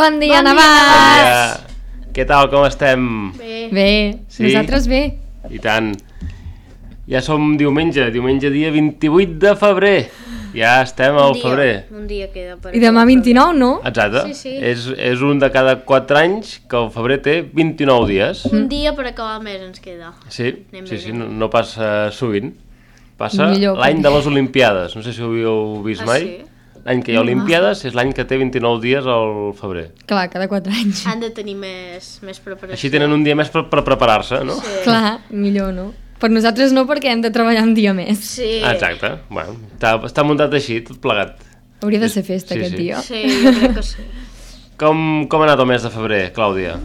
Bon dia, Navàs! Bon dia. Què tal, com estem? Bé, Sí? nosaltres bé. I tant. Ja som diumenge dia 28 de febrer. Ja estem al febrer. Un dia queda per I demà 29, no? Exacte. Sí. És un de cada 4 anys que el febrer té 29 dies. Un dia per acabar el mes ens queda. Sí, Anem sí, bé, sí, anem no passa sovint. Passa Millor l'any que- de les Olimpiades. No sé si ho havíeu vist mai. sí? L'any que hi ha Olimpiades és l'any que té 29 dies al febrer. Clar, cada 4 anys. Han de tenir més preparació. Així tenen un dia més per preparar-se, no? Sí. Clar, millor no. Per nosaltres no, perquè hem de treballar un dia més. Sí. Exacte. Bueno, està muntat així, tot plegat. Hauria de ser festa Sí, aquest sí. dia. Sí, jo crec que sí. Com ha anat el mes de febrer, Clàudia?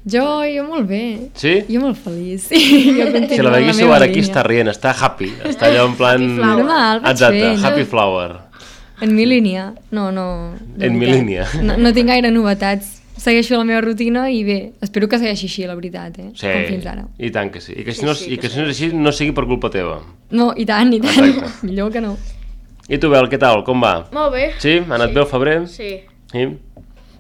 Jo molt bé. Sí? Jo molt feliç. Sí, jo continuo Si la en veguéssiu meva ara aquí línia. està rient, està happy, està allò en plan... Happy flower. Normal, vaig Exacte, fent, happy no? flower. En mi línia. No. de En mi veritat. línia. No tinc gaire novetats. Segueixo la meva rutina i bé, espero que segueixi així, la veritat, Sí, com fins ara. i tant que sí. I que si Sí, no, sí, i que que si no és així, no sigui per culpa teva. No, i tant. Exacte. Millor que no. I tu, Bel, què tal? Com va? Molt bé. Sí? Ha anat bé el febrer? Sí, Sí?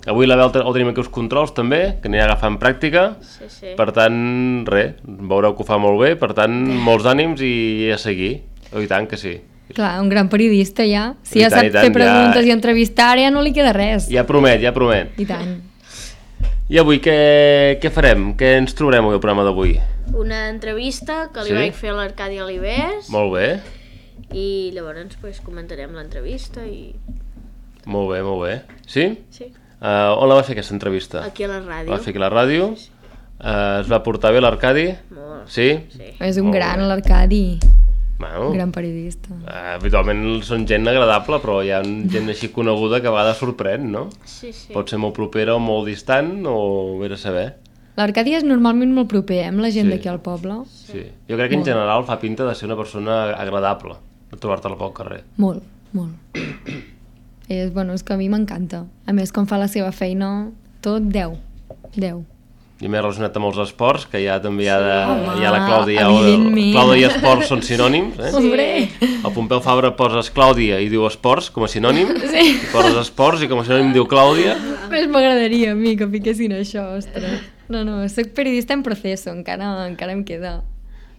Avui la Bel el tenim aquí als controls, també, que anirà agafant pràctica. sí. Per tant, res, veureu que ho fa molt bé, per tant, molts ànims i a seguir. Oh, i tant que sí. Clar, un gran periodista ja. Si I ja tant, sap i tant, fer preguntes ja- i entrevistar, ara ja no li queda res. Ja promet, ja promet. I tant. I avui què farem? Què ens trobarem avui al programa d'avui? Una entrevista que li Sí? vaig fer a l'Arcadi Alibés Molt bé, i llavors pues, comentarem l'entrevista i... molt bé, molt bé. Sí? Sí, On la va fer aquesta entrevista? aquí a la ràdio. La va fer aquí a la ràdio? Es va portar bé l'Arcadi? Molt. Sí? Sí. És un Molt gran, bé. l'Arcadi. Bueno, Un gran periodista. habitualment són gent agradable, però hi ha gent així coneguda que a vegades sorprèn, no? Sí. Pot ser molt propera o molt distant, o bé de saber. L'Arcadi és normalment molt proper, amb la gent Sí. d'aquí al poble. Sí. Jo crec que en general fa pinta de ser una persona agradable, de trobar-te-la pel carrer. Molt. És que a mi m'encanta. A més, com fa la seva feina, tot 10. I més relacionat amb els esports, que ja també hi ha, Home, hi ha la Clàudia, evidentment. Clàudia i esports són sinònims, eh? Hombre! El Pompeu Fabra poses Clàudia i diu esports com a sinònim, Sí. i poses esports i com a sinònim diu Clàudia. Més m'agradaria a mi que fiquessin això, ostres. No, soc periodista en proceso, encara em queda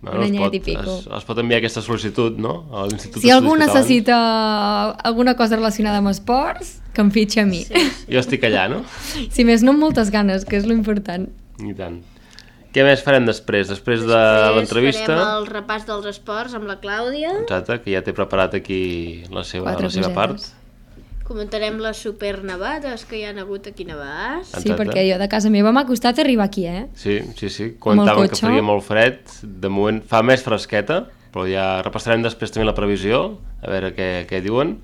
un anyet i pico. es pot enviar aquesta sol·licitud, no? A l'Institut Si algú d'Estudis Catalans. necessita alguna cosa relacionada amb esports, que em fitxi a mi. Jo estic allà, no? Si més no amb moltes ganes, que és lo important. I tant. Què més farem després? Després de l'entrevista? Farem el repàs dels esports amb la Clàudia. Exacte, que ja té preparat aquí la seva Quatre part. cosetes. Comentarem les supernevades que hi ha hagut aquí a Navàs. Sí, Exacte. perquè jo de casa meva m'ha costat arribar aquí, Sí. Comentaven que cotxe. faria molt fred. De moment fa més fresqueta, però ja repassarem després també la previsió, a veure què diuen.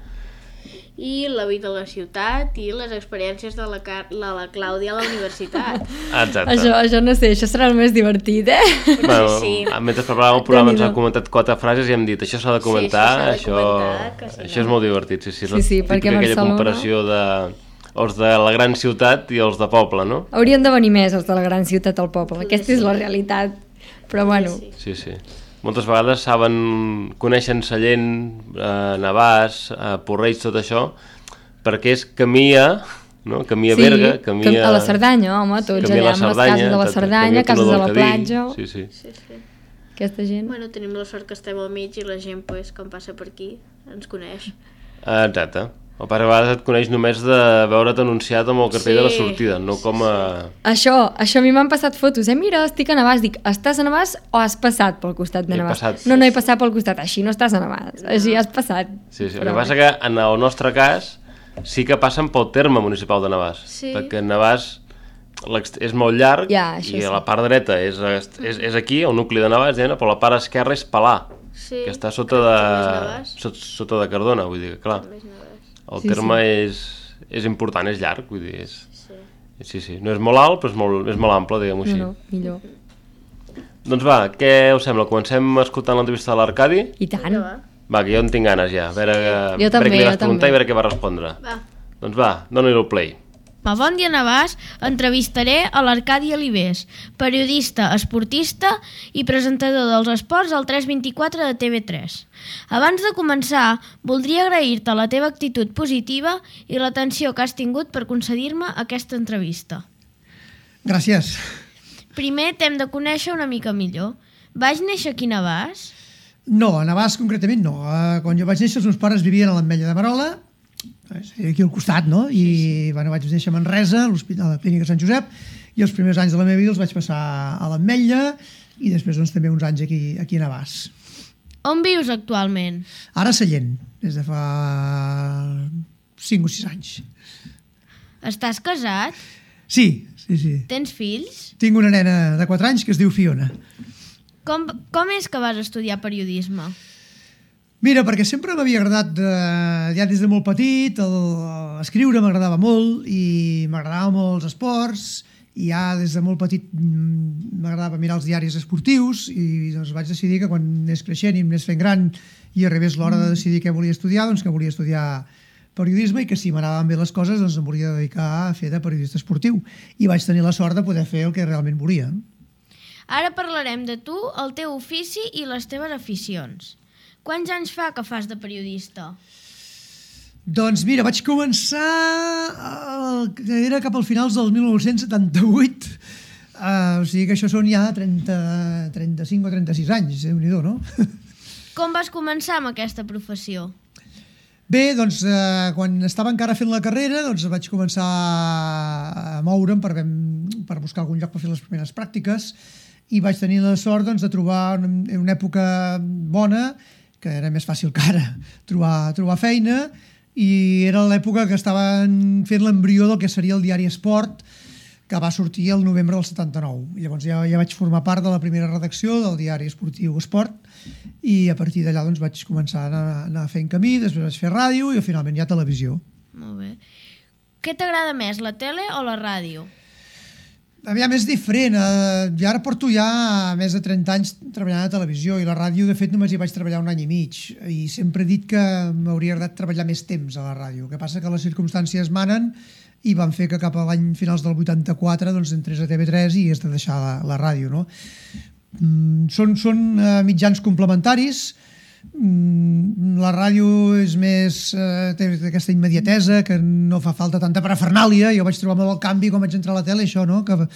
I la vida a la ciutat i les experiències de la Clàudia a la universitat. Exacte. Això no sé, això serà el més divertit, Bueno, Sí. Mentre preparàvem el programa ens Déu-n'hi-do. han comentat 4 frases i hem dit això s'ha de comentar, Sí, això s'ha de comentar, que si això no- és molt divertit. Sí, Sí, la perquè típica aquella Barcelona- comparació de els de la gran ciutat i els de poble, no? Haurien de venir més els de la gran ciutat al poble. Aquesta és la realitat. Però bueno, Sí, sí. Moltes vegades coneixen Sallent, Navàs, Porreig, tot això, perquè és camí a, no? Camí a Berga, camí a la Cerdanya, home, tots camí a allà la amb les Cerdanya, cases de la exacte, Cerdanya, camí a cases de la Túnel del Cadí. platja. Sí, sí. Sí. Aquesta gent. Bueno, tenim la sort que estem al mig i la gent, pues, quan passa per aquí, ens coneix. Exacte. El pare a vegades et coneix només de veure't anunciat amb el cartell de la Sí. sortida, no com a... Això a mi m'han passat fotos, Mira, estic a Navàs. Dic, estàs a Navàs o has passat pel costat de He Navàs? passat. No he passat pel costat, així no estàs a Navàs, així has passat. Sí, sí. El Però que passa que en el nostre cas sí que passen pel terme municipal de Navàs, Sí. perquè Navàs és molt llarg Ja, això i sí. a la part dreta és aquí, el nucli de Navàs, però la part esquerra és Palà, Sí. que està sota També és de, Navàs. sota de Cardona, vull dir que clar, També és Navàs. el Sí, terme és important, és llarg, vull dir, Sí. sí, no és molt alt, però és molt ample, diguem-ho així. No, millor. Doncs va, què us sembla? Comencem escoltant l'entrevista de l'Arcadi? I tant. Vinga, va. Va, que jo en tinc ganes ja, a veure, Jo també, què li vas jo preguntar també. i a veure què va respondre. Va. Doncs va, dona-li el play. A Bon Dia Navàs entrevistaré a l'Arcadi Alibés, periodista, esportista i presentador dels esports al 324 de TV3. Abans de començar, voldria agrair-te la teva actitud positiva i l'atenció que has tingut per concedir-me aquesta entrevista. Gràcies. Primer t'hem de conèixer una mica millor. Vaig néixer aquí a Navàs? No, a Navàs concretament no. Quan jo vaig néixer els meus pares vivien a l'Ametlla de Merola, aquí al costat, no? I bueno, vaig néixer a Manresa, a la clínica Sant Josep, i els primers anys de la meva vida els vaig passar a l'Ametlla i després doncs, també uns anys aquí a Navàs. On vius actualment? Ara a Sallent, des de fa 5 o 6 anys. Estàs casat? Sí. Tens fills? Tinc una nena de 4 anys que es diu Fiona. Com és que vas estudiar periodisme? Mira, perquè sempre m'havia agradat, ja des de molt petit, escriure m'agradava molt i m'agradava molt els esports i ja des de molt petit m'agradava mirar els diaris esportius i doncs vaig decidir que quan anés creixent i anés fent gran i arribés l'hora de decidir què volia estudiar, doncs que volia estudiar periodisme i que si m'anaven bé les coses doncs em volia dedicar a fer de periodista esportiu i vaig tenir la sort de poder fer el que realment volia. Ara parlarem de tu, el teu ofici i les teves aficions. Quants anys fa que fas de periodista? Doncs mira, vaig començar, era cap al finals del 1978, o sigui que això són ja 35 o 36 anys, Déu-n'hi-do, no? Com vas començar amb aquesta professió? Bé, doncs quan estava encara fent la carrera doncs vaig començar a moure'm per buscar algun lloc per fer les primeres pràctiques i vaig tenir la sort doncs, de trobar una època bona que era més fàcil que ara trobar feina i era l'època que estaven fent l'embrió del que seria el diari Esport que va sortir el novembre del 79 i llavors ja vaig formar part de la primera redacció del diari esportiu Esport i a partir d'allà doncs, vaig començar a anar fent camí, després vaig fer ràdio i finalment ja televisió. Molt bé. Què t'agrada més, la tele o la ràdio? Aviam, és diferent. Jo ara porto ja més de 30 anys treballant a televisió i la ràdio, de fet, només hi vaig treballar 1 any i mig i sempre he dit que m'hauria agradat treballar més temps a la ràdio. El que passa que les circumstàncies manen i van fer que cap a l'any finals del 84 doncs, entrés a TV3 i has de deixar la ràdio. No? Són mitjans complementaris. La ràdio és més té aquesta immediatesa que no fa falta tanta parafernàlia. Jo vaig trobar molt el canvi quan vaig entrar a la tele, això, no? Que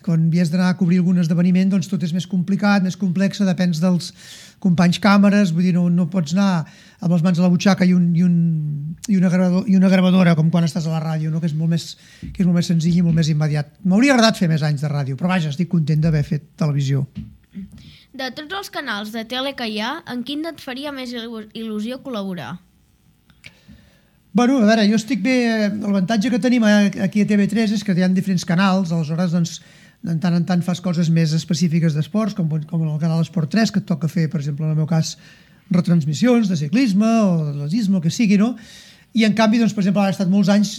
quan havies d'anar a cobrir algun esdeveniment doncs tot és més complicat, més complex, depens dels companys càmeres, vull dir, no pots anar amb les mans a la butxaca i una gravadora com quan estàs a la ràdio, no? que és molt més senzill i molt més immediat. M'hauria agradat fer més anys de ràdio, però vaja, estic content d'haver fet televisió. De tots els canals de tele que hi ha, en quin et faria més il·lusió col·laborar? Bueno, a veure, jo estic bé... L'avantatge que tenim aquí a TV3 és que hi ha diferents canals, aleshores, doncs, de tant en tant fas coses més específiques d'esports, com en el canal Esport 3, que et toca fer, per exemple, en el meu cas, retransmissions de ciclisme o d'atletisme, el que sigui, no? I en canvi, doncs, per exemple, ara he estat molts anys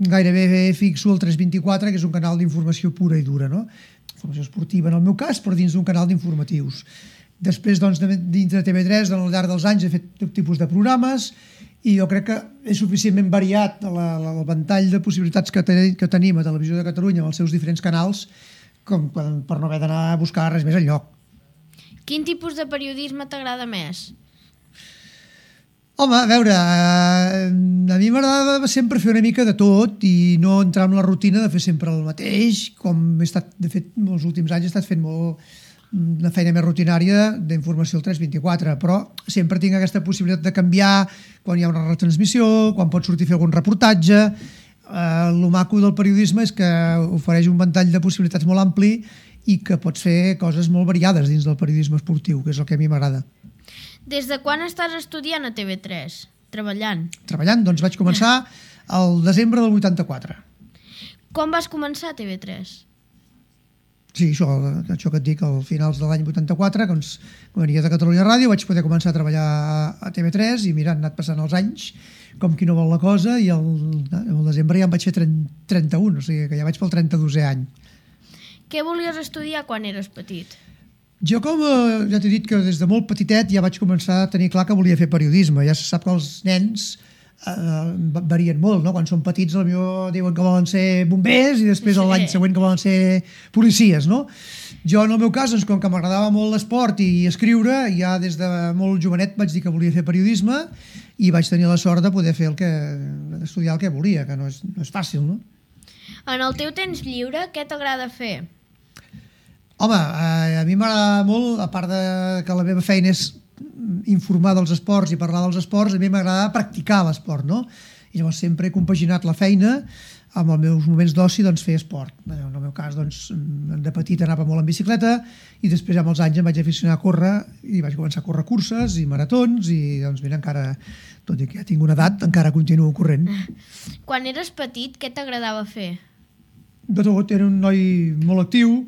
gairebé fixo al 324, que és un canal d'informació pura i dura, no? Informació esportiva en el meu cas, però dins d'un canal d'informatius. Després, doncs, dins de TV3, al llarg dels anys he fet tot tipus de programes i jo crec que és suficientment variat el ventall de possibilitats que tenim a Televisió de Catalunya amb els seus diferents canals com per no haver d'anar a buscar res més enlloc. Quin tipus de periodisme t'agrada més? Home, a veure, a mi m'agradava sempre fer una mica de tot i no entrar en la rutina de fer sempre el mateix, com he estat, de fet, els últims anys he estat fent una feina més rutinària d'informació al 324, però sempre tinc aquesta possibilitat de canviar quan hi ha una retransmissió, quan pots sortir a fer algun reportatge. El maco del periodisme és que ofereix un ventall de possibilitats molt ampli i que pots fer coses molt variades dins del periodisme esportiu, que és el que a mi m'agrada. Des de quan estàs estudiant a TV3? Treballant? Treballant, doncs vaig començar al desembre del 84. Com vas començar a TV3? Sí, això que et dic, al finals de l'any 84, doncs, quan venia de Catalunya Ràdio, vaig poder començar a treballar a TV3 i mira, han anat passant els anys com qui no vol la cosa i al desembre ja em vaig fer 31, o sigui que ja vaig pel 32è any. Què volies estudiar quan eres petit? Jo, com ja t'he dit que des de molt petitet ja vaig començar a tenir clar que volia fer periodisme. Ja se sap que els nens varien molt, no? Quan són petits potser diuen que volen ser bombers i després l'any següent que volen ser policies, no? Jo, en el meu cas, doncs, com que m'agradava molt l'esport i escriure, ja des de molt jovenet vaig dir que volia fer periodisme i vaig tenir la sort de poder fer estudiar el que volia, que no és fàcil, no? En el teu temps lliure, què t'agrada fer? Home, a mi m'agrada molt, a part de que la meva feina és informar dels esports i parlar dels esports, a mi m'agrada practicar l'esport, no? I llavors sempre he compaginat la feina amb els meus moments d'oci, doncs, fer esport. En el meu cas, doncs, de petit anava molt en bicicleta i després, amb els anys, em vaig aficionar a córrer i vaig començar a córrer curses i maratons i, doncs, mira, encara, tot i que ja tinc una edat, encara continuo corrent. Quan eres petit, què t'agradava fer? De tot, era un noi molt actiu,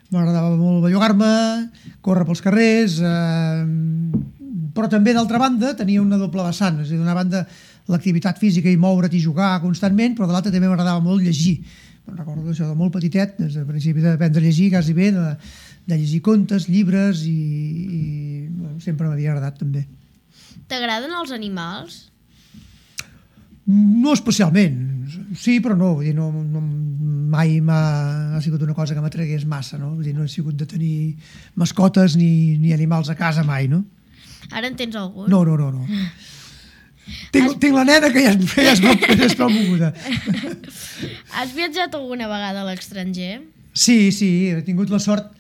m'agradava molt bellugar-me, córrer pels carrers, però també, d'altra banda, tenia una doble vessant. És a dir, d'una banda, l'activitat física i moure't i jugar constantment, però de l'altra també m'agradava molt llegir. Me'n recordo això de molt petitet, des del principi d'aprendre a llegir, quasi bé, de llegir contes, llibres i sempre m'havia agradat també. T'agraden els animals? No especialment, sí però no, vull dir, mai ha sigut una cosa que m'atregués massa, no? Vull dir, no he sigut de tenir mascotes ni animals a casa mai, no? Ara en tens algun? No. Tinc la nena que ja és prou moguda. Has viatjat alguna vegada a l'estranger? Sí, he tingut la sort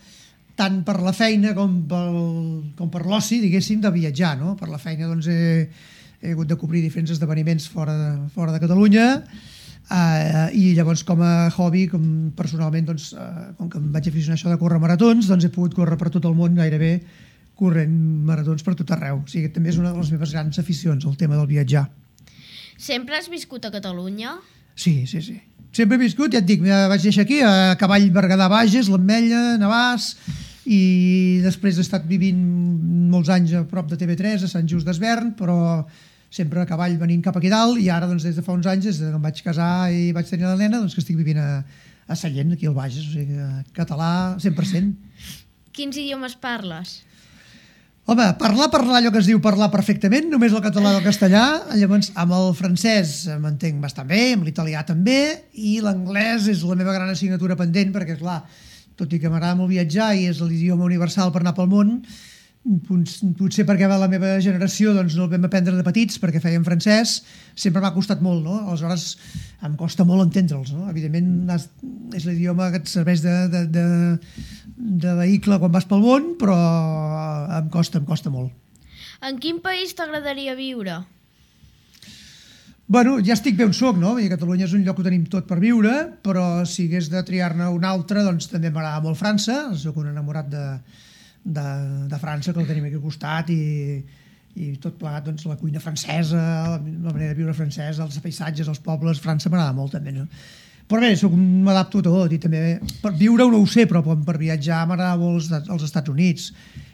tant per la feina com per l'oci, diguéssim, de viatjar, no? Per la feina, doncs, he hagut de cobrir diferents esdeveniments fora de Catalunya i llavors com a hobby, com personalment, doncs, com que em vaig aficionar a això de córrer maratons, doncs he pogut córrer per tot el món gairebé corrent maratons per tot arreu. O sigui, també és una de les meves grans aficions, el tema del viatjar. Sempre has viscut a Catalunya? Sí. Sempre he viscut, ja et dic, vaig néixer aquí, a Cavall, Berguedà, Bages, l'Ametlla, Navàs, i després he estat vivint molts anys a prop de TV3, a Sant Just d'Esvern, però sempre a cavall venint cap aquí dalt, i ara, doncs, des de fa uns anys, des que em vaig casar i vaig tenir la nena, doncs que estic vivint a Sallent, aquí al Bages, o sigui, català 100%. Quins idiomes parles? Home, parlar allò que es diu parlar perfectament, només el català i el castellà, llavors amb el francès m'entenc bastant bé, amb l'italià també, i l'anglès és la meva gran assignatura pendent, perquè, clar, tot i que m'agrada molt viatjar i és l'idioma universal per anar pel món, potser perquè la meva generació doncs, no el vam aprendre de petits perquè fèiem francès, sempre m'ha costat molt, no? Aleshores em costa molt entendre'ls, no? Evidentment és l'idioma que et serveix de vehicle quan vas pel món, però em costa molt. En quin país t'agradaria viure? Bueno, ja estic bé on soc, no? Catalunya és un lloc que tenim tot per viure, però si hagués de triar-ne un altre, doncs també m'agrada molt França, soc un enamorat de França, que el tenim aquí al costat, i tot plegat, doncs, la cuina francesa, la manera de viure francesa, els paisatges, els pobles, França m'agrada molt també, no? Però bé, m'adapto a tot, i també per viure no ho sé, però per viatjar m'agrada molt els Estats Units.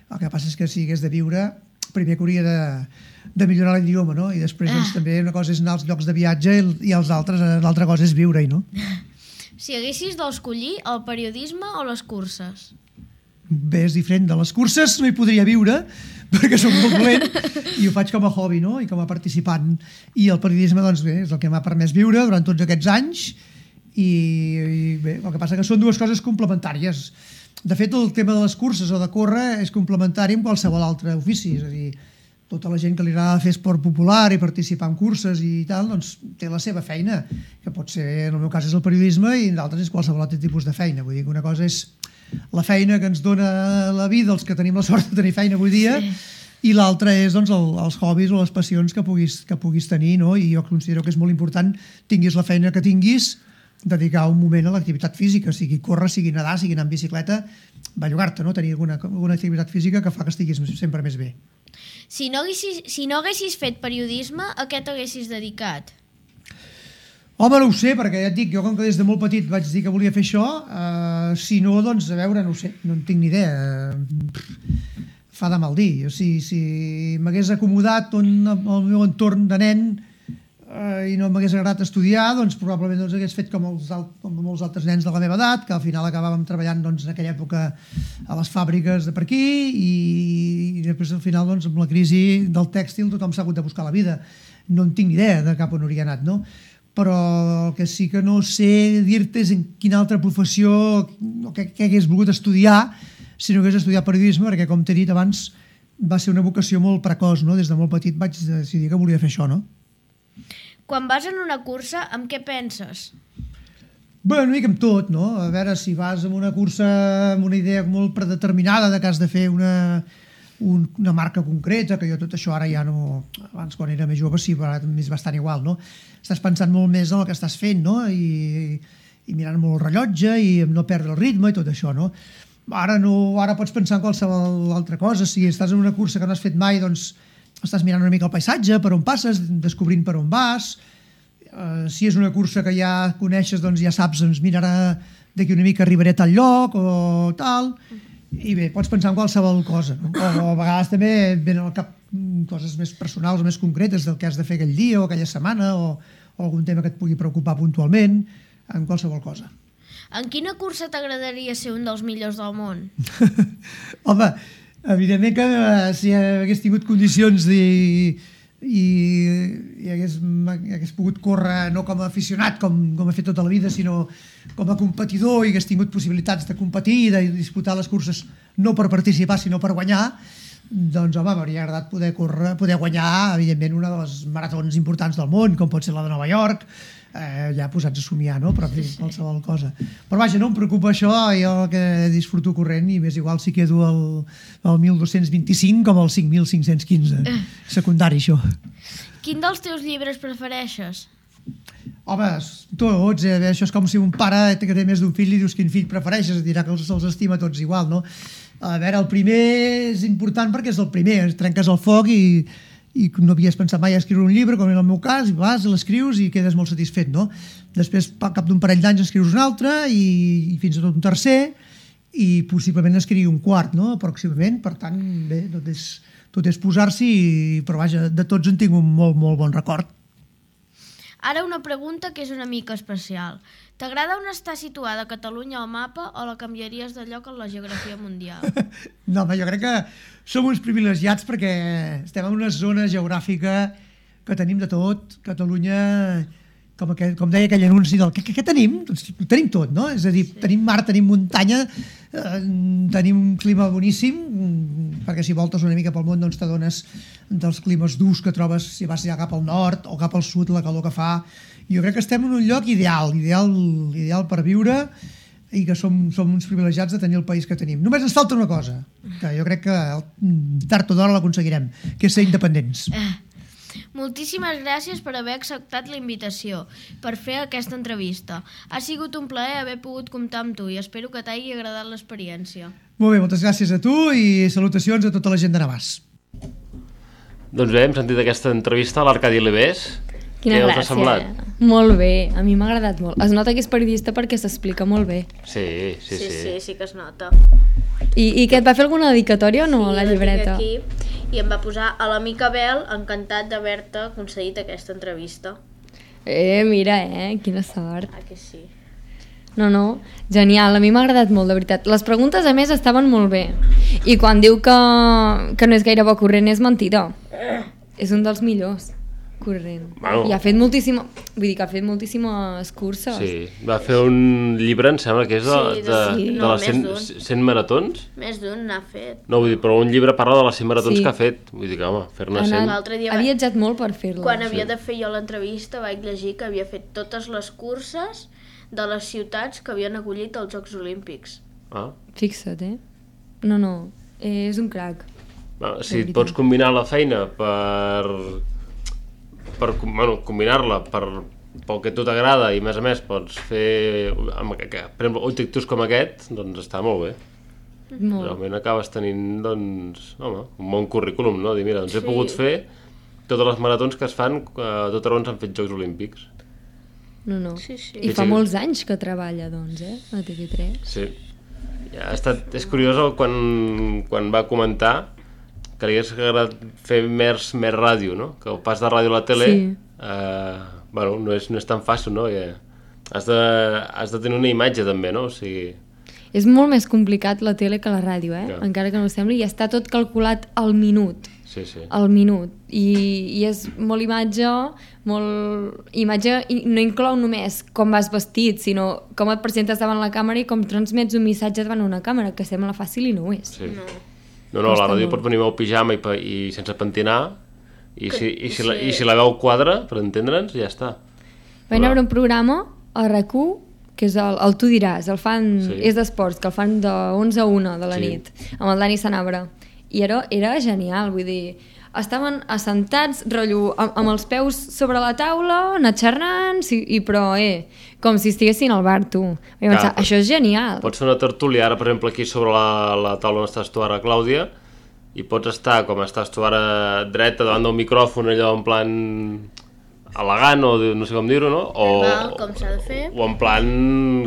El que passa és que si hagués de viure, primer que hauria de millorar l'idioma, no? I després doncs, també una cosa és anar als llocs de viatge i l'altra cosa és viure-hi, no? Si haguessis d'escollir el periodisme o les curses? Bé, és diferent. De les curses no hi podria viure perquè soc molt dolent i ho faig com a hobby, no? I com a participant. I el periodisme, doncs bé, és el que m'ha permès viure durant tots aquests anys i bé, el que passa que són dues coses complementàries. De fet, el tema de les curses o de córrer és complementari amb qualsevol altre ofici, és a dir, tota la gent que li agrada fer esport popular i participar en curses i tal, doncs té la seva feina, que pot ser, en el meu cas és el periodisme i en d'altres és qualsevol altre tipus de feina. Vull dir que una cosa és la feina que ens dona la vida, els que tenim la sort de tenir feina avui dia, i l'altra és doncs, els hobbies o les passions que puguis tenir, no? I jo considero que és molt important, tinguis la feina que tinguis, dedicar un moment a l'activitat física, sigui córrer, sigui nedar, sigui anar en bicicleta, bellugar-te, no? Tenir alguna activitat física que fa que estiguis sempre més bé. Si no haguessis fet periodisme, a què t'haguessis dedicat? Home, no ho sé, perquè ja et dic, jo com que des de molt petit vaig dir que volia fer això, si no, doncs, a veure, no ho sé, no en tinc ni idea. Fa de mal dir. Si m'hagués acomodat al meu entorn de nen, i no m'hagués agradat estudiar, doncs probablement hagués fet com molts altres nens de la meva edat, que al final acabàvem treballant en aquella època a les fàbriques de per aquí i després al final amb la crisi del tèxtil tothom s'ha hagut de buscar la vida. No en tinc ni idea de cap on hauria anat, no? Però el que sí que no sé dir-te és en quina altra professió o què hagués volgut estudiar si no hagués estudiat periodisme, perquè com t'he dit abans va ser una vocació molt precoç, no? Des de molt petit vaig decidir que volia fer això, no? Quan vas en una cursa, amb què penses? Bé, una mica amb tot, no? A veure, si vas en una cursa amb una idea molt predeterminada de que has de fer una marca concreta, que jo tot això ara ja no... Abans, quan era més jove, sí, però ara és bastant igual, no? Estàs pensant molt més en el que estàs fent, no? I mirant molt el rellotge i no perdre el ritme i tot això, no? Ara pots pensar en qualsevol altra cosa. Si estàs en una cursa que no has fet mai, doncs estàs mirant una mica el paisatge, per on passes, descobrint per on vas. Si és una cursa que ja coneixes, doncs ja saps, doncs mira, d'aquí una mica arribaré a tal lloc o tal. I bé, pots pensar en qualsevol cosa, no? O a vegades també venen al cap coses més personals o més concretes del que has de fer aquell dia o aquella setmana o algun tema que et pugui preocupar puntualment, en qualsevol cosa. En quina cursa t'agradaria ser un dels millors del món? Home, evidentment que si hagués tingut condicions i hagués pogut córrer no com a aficionat, com he fet tota la vida, sinó com a competidor i hagués tingut possibilitats de competir i de disputar les curses no per participar sinó per guanyar, doncs home, m'hauria agradat poder guanyar evidentment una de les maratons importants del món, com pot ser la de Nova York, ja posats a somiar, no? Però qualsevol cosa. Però vaja, no em preocupa això, jo el que disfruto corrent i m'és igual si quedo al 1225 com al 5515. Secundari, això. Quin dels teus llibres prefereixes? Home, tots, això és com si un pare que té més d'un fill li dius quin fill prefereixes, dirà que els estima tots igual, no? A veure, el primer és important perquè és el primer, trenques el foc i no havies pensat mai a escriure un llibre, com en el meu cas, i vas, l'escrius i quedes molt satisfet, no? Després, al cap d'un parell d'anys, escrius un altre i fins a tot un tercer i possiblement escrigui un quart, no? Pròximament, per tant, bé, tot és posar-s'hi, però vaja, de tots en tinc un molt, molt bon record. Ara una pregunta que és una mica especial. T'agrada on està situada Catalunya al mapa o la canviaries de lloc en la geografia mundial? No, jo crec que som uns privilegiats perquè estem en una zona geogràfica que tenim de tot. Catalunya, com deia aquell anunci del què tenim? Doncs tenim tot, no? És a dir, tenim mar, tenim muntanya, tenim un clima boníssim, perquè si voltes una mica pel món doncs t'adones dels climes durs que trobes si vas ja cap al nord o cap al sud, la calor que fa. Jo crec que estem en un lloc ideal per viure i que som uns privilegiats de tenir el país que tenim. Només ens falta una cosa, que jo crec que tard o d'hora l'aconseguirem, que és ser independents. Moltíssimes gràcies per haver acceptat la invitació per fer aquesta entrevista. Ha sigut un plaer haver pogut comptar amb tu i espero que t'hagi agradat l'experiència. Molt bé, moltes gràcies a tu i salutacions a tota la gent de Navàs. Doncs bé, hem sentit aquesta entrevista a l'Arcadi Libés. Quina Què us gràcia. ha semblat? Molt bé, a mi m'ha agradat molt. Es nota que és periodista perquè s'explica molt bé. Sí. Sí que es nota. I que et va fer alguna dedicatòria o no, a la llibreta? Sí, aquí, i em va posar a l'amic Abel, encantat d'haver-te concedit aquesta entrevista. Mira, quina sort. Ah, que sí. No, genial, a mi m'ha agradat molt, de veritat. Les preguntes, a més, estaven molt bé. I quan diu que no és gaire bo corrent, és mentida. És un dels millors corrent. Bueno. I ha fet moltíssimes curses. Sí, va fer un llibre, em sembla que és de les 100 maratons. Més d'un n'ha fet. No, vull dir, però un llibre parla de les 100 maratons que ha fet. Vull dir que, home, fer-ne 100... L'altre dia ha viatjat molt per fer-la. Quan havia de fer jo l'entrevista vaig llegir que havia fet totes les curses de les ciutats que havien acollit els Jocs Olímpics. Ah. Fixa't, No, és un crac. Bueno, si pots combinar la feina combinar-la pel que a tu t'agrada i a més pots fer per exemple, objectius com aquest, doncs està molt bé. Molt. Realment acabes tenint doncs, un bon currículum, no? Dir, mira, doncs he pogut fer totes les maratons que es fan a tot arreu on s'han fet Jocs Olímpics. No. Sí. I fa molts anys que treballa, doncs, a TV3. Sí. Ja és curiós quan va comentar que li hagués agradat fer més ràdio, no? Que el pas de ràdio a la tele bueno, no és tan fàcil, no? Has de tenir una imatge també, no? O sigui... És molt més complicat la tele que la ràdio, encara que no ho sembli, i està tot calculat al minut. Sí, sí. Al minut. I és molt imatge, i no inclou només com vas vestit, sinó com et presentes davant la càmera i com transmets un missatge davant una càmera, que sembla fàcil i no ho és. Sí. No, la ràdio pot venir amb el pijama i sense pentinar, i si la veu quadra, per entendre'ns, ja està. Vaig veure un programa a RAC1, que és el Tu diràs, és d'esports, que el fan de 11 a 1 de la nit, amb el Dani Sanabra. I era genial, vull dir, estaven assentats, rotllo, amb els peus sobre la taula, anar xerrant, però com si estiguessin al bar, tu. Vaig pensar, això és genial. Pots fer una tertúlia, ara, per exemple, aquí sobre la taula on estàs tu ara, Clàudia, i pots estar, com estàs tu ara, dreta davant del micròfon, allò en plan elegant, o no sé com dir-ho, no? Com s'ha de fer. O en plan...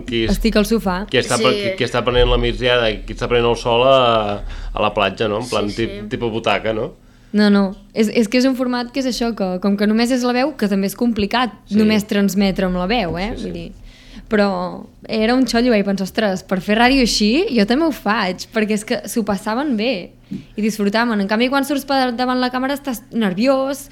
Estic al sofà. Qui està prenent la migdiada i qui està prenent el sol a la platja, no? En plan tipus butaca, no? No, és que és un format que és això, que com que només és la veu, que també és complicat només transmetre amb la veu, vull dir. Però era un xollo, vaig pensar, ostres, per fer ràdio així jo també ho faig, perquè és que s'ho passaven bé i disfrutaven. En canvi, quan surts davant la càmera estàs nerviós,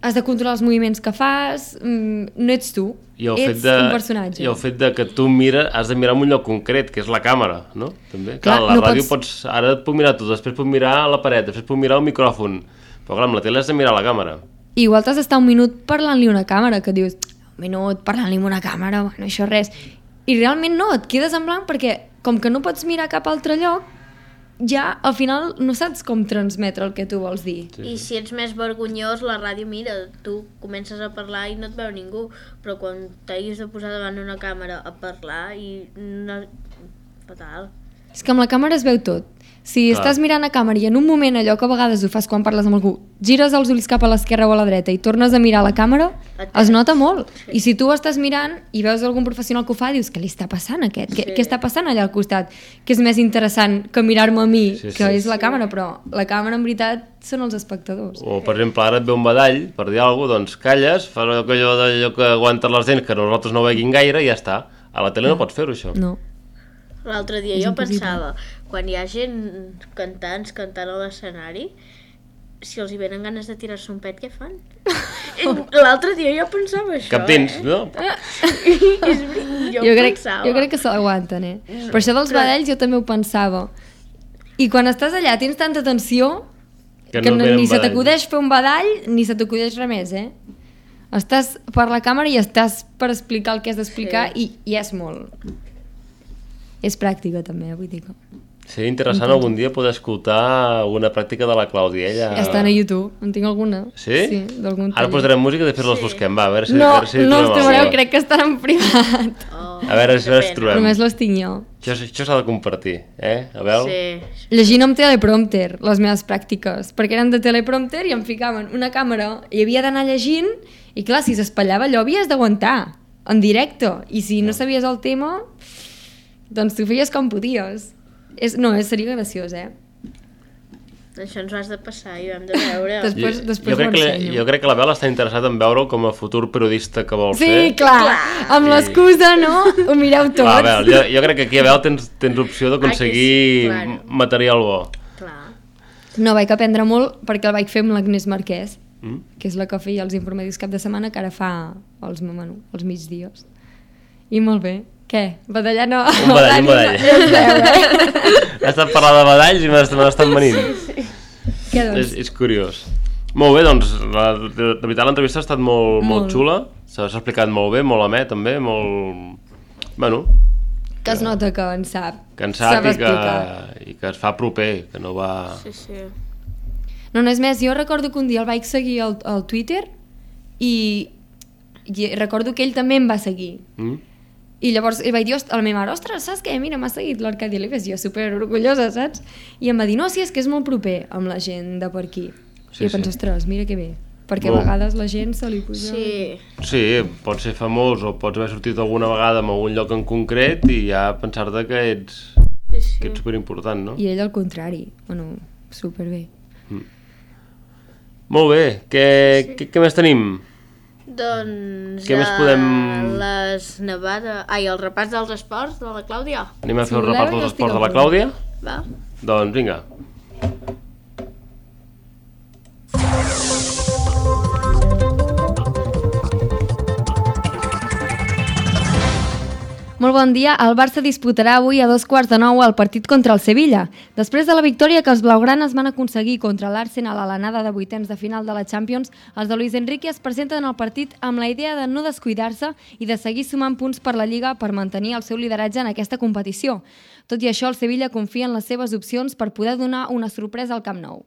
has de controlar els moviments que fas, no ets tu, ets un personatge. I el fet de que tu has de mirar en un lloc concret, que és la càmera, no? També. Clar, la ràdio ara et puc mirar tu, després puc mirar a la paret, després puc mirar al micròfon, però clar, amb la tele has de mirar a la càmera. I igual t'has d'estar un minut parlant-li a una càmera, que dius, un minut parlant-li a una càmera, bueno, això res. I realment no, et quedes en blanc perquè com que no pots mirar cap altre lloc, ja al final no saps com transmetre el que tu vols dir. I si ets més vergonyós, la ràdio, mira, tu comences a parlar i no et veu ningú, però quan t'hagis de posar davant una càmera a parlar i no... fatal. És que amb la càmera es veu tot. Si estàs mirant a càmera i en un moment, allò que a vegades ho fas quan parles amb algú, gires els ulls cap a l'esquerra o a la dreta i tornes a mirar a la càmera, es nota molt. I si tu estàs mirant i veus algun professional que ho fa, dius, què li està passant a aquest? Què està passant allà al costat? Que és més interessant que mirar-me a mi, que és la càmera, però la càmera en veritat són els espectadors. O, per exemple, ara et ve un badall per dir alguna cosa, doncs calles, fas allò que aguantes les dents, que nosaltres no veguin gaire i ja està. A la tele no pots fer-ho, això. No. L'altre dia jo pensava, quan hi ha gent cantant a l'escenari, si els hi venen ganes de tirar-se un pet, què fan? L'altre dia jo pensava això, Cap dins, no? Jo crec que se l'aguanten, Per això dels badalls jo també ho pensava. I quan estàs allà tens tanta tensió que ni se t'acudeix fer un badall ni se t'acudeix res més, Estàs per la càmera i estàs per explicar el que has d'explicar i és molt... És pràctica també, vull dir que... Seria interessant algun dia poder escoltar alguna pràctica de la Clàudia. Ella... Estan a YouTube, en tinc alguna. Sí? Sí, d'algun taller. Ara posarem música i després les busquem, va, a veure si... No els trobareu, crec que estan en privat. A veure si les trobem. Només les tinc jo. Això s'ha de compartir, Abel? Sí. Llegint amb teleprompter, les meves pràctiques, perquè eren de teleprompter i em ficaven una càmera i havia d'anar llegint i clar, si s'espatllava allò havies d'aguantar en directe i si no sabies el tema... Doncs tu feies com podies. Seria graciós, Això ens ho has de passar i ho hem de veure. Després ho ensenyo. Jo crec que la Bel està interessada en veure com a futur periodista que vol ser. Sí, clar. Amb l'excusa, no? Ho mireu tots. Clar, Bel, jo crec que aquí a Bel tens opció d'aconseguir material bo. Clar. No, vaig aprendre molt perquè el vaig fer amb l'Agnès Marquès, que és la que feia els informatius cap de setmana, que ara fa els migdies. I molt bé. Què? Badallar no? Un badall. He estat parlant de badalls i me n'estan venint. Què, doncs? És curiós. Molt bé, doncs, de veritat l'entrevista ha estat molt xula, s'ha explicat molt bé, molt amè també, molt... Bueno... Que es nota que en sap. Que en sap i que es fa proper, que no va... Sí. No és més, jo recordo que un dia el vaig seguir al Twitter i recordo que ell també em va seguir. I llavors vaig dir a la meva mare, ostres, saps què? Mira, m'ha seguit l'Arcadi Olives, jo super orgullosa, saps? I em va dir, no, sí, és que és molt proper amb la gent de per aquí. I jo penso, ostres, mira que bé, perquè a vegades la gent se li posa... Sí, pots ser famós o pots haver sortit alguna vegada en algun lloc en concret i ja pensar-te que ets superimportant, no? I ell al contrari, bueno, superbé. Molt bé, què més tenim? Doncs Què més podem... el repàs dels esports de la Clàudia. Anem a fer Si el voleu, repàs jo dels estic esports de a la punt. Clàudia? Va. Doncs vinga. Molt bon dia. El Barça disputarà avui a 8:15 el partit contra el Sevilla. Després de la victòria que els blaugranes van aconseguir contra l'Arsenal a l'anada de vuitens de final de la Champions, els de Luis Enrique es presenten al partit amb la idea de no descuidar-se i de seguir sumant punts per la Lliga per mantenir el seu lideratge en aquesta competició. Tot i això, el Sevilla confia en les seves opcions per poder donar una sorpresa al Camp Nou.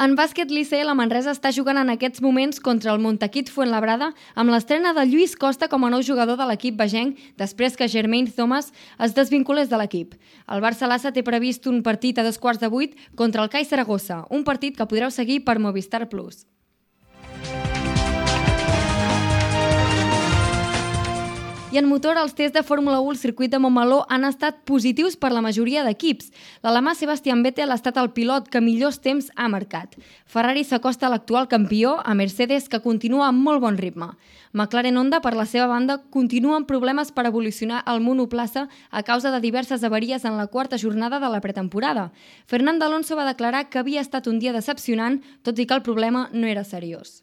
En bàsquet, l'ICL a Manresa està jugant en aquests moments contra el Montaquit Fuenlabrada amb l'estrena de Lluís Costa com a nou jugador de l'equip vegenc després que Jermaine Thomas es desvinculés de l'equip. El Barça Lassa té previst un partit a 7:15 contra el CAI Saragossa, un partit que podreu seguir per Movistar Plus. I en motor, els tests de Fórmula 1 al circuit de Montmeló han estat positius per la majoria d'equips. L'alemà Sebastian Vettel ha estat el pilot que millors temps ha marcat. Ferrari s'acosta a l'actual campió, a Mercedes, que continua amb molt bon ritme. McLaren Honda, per la seva banda, continua amb problemes per evolucionar el monoplaça a causa de diverses avaries en la quarta jornada de la pretemporada. Fernando Alonso va declarar que havia estat un dia decepcionant, tot i que el problema no era seriós.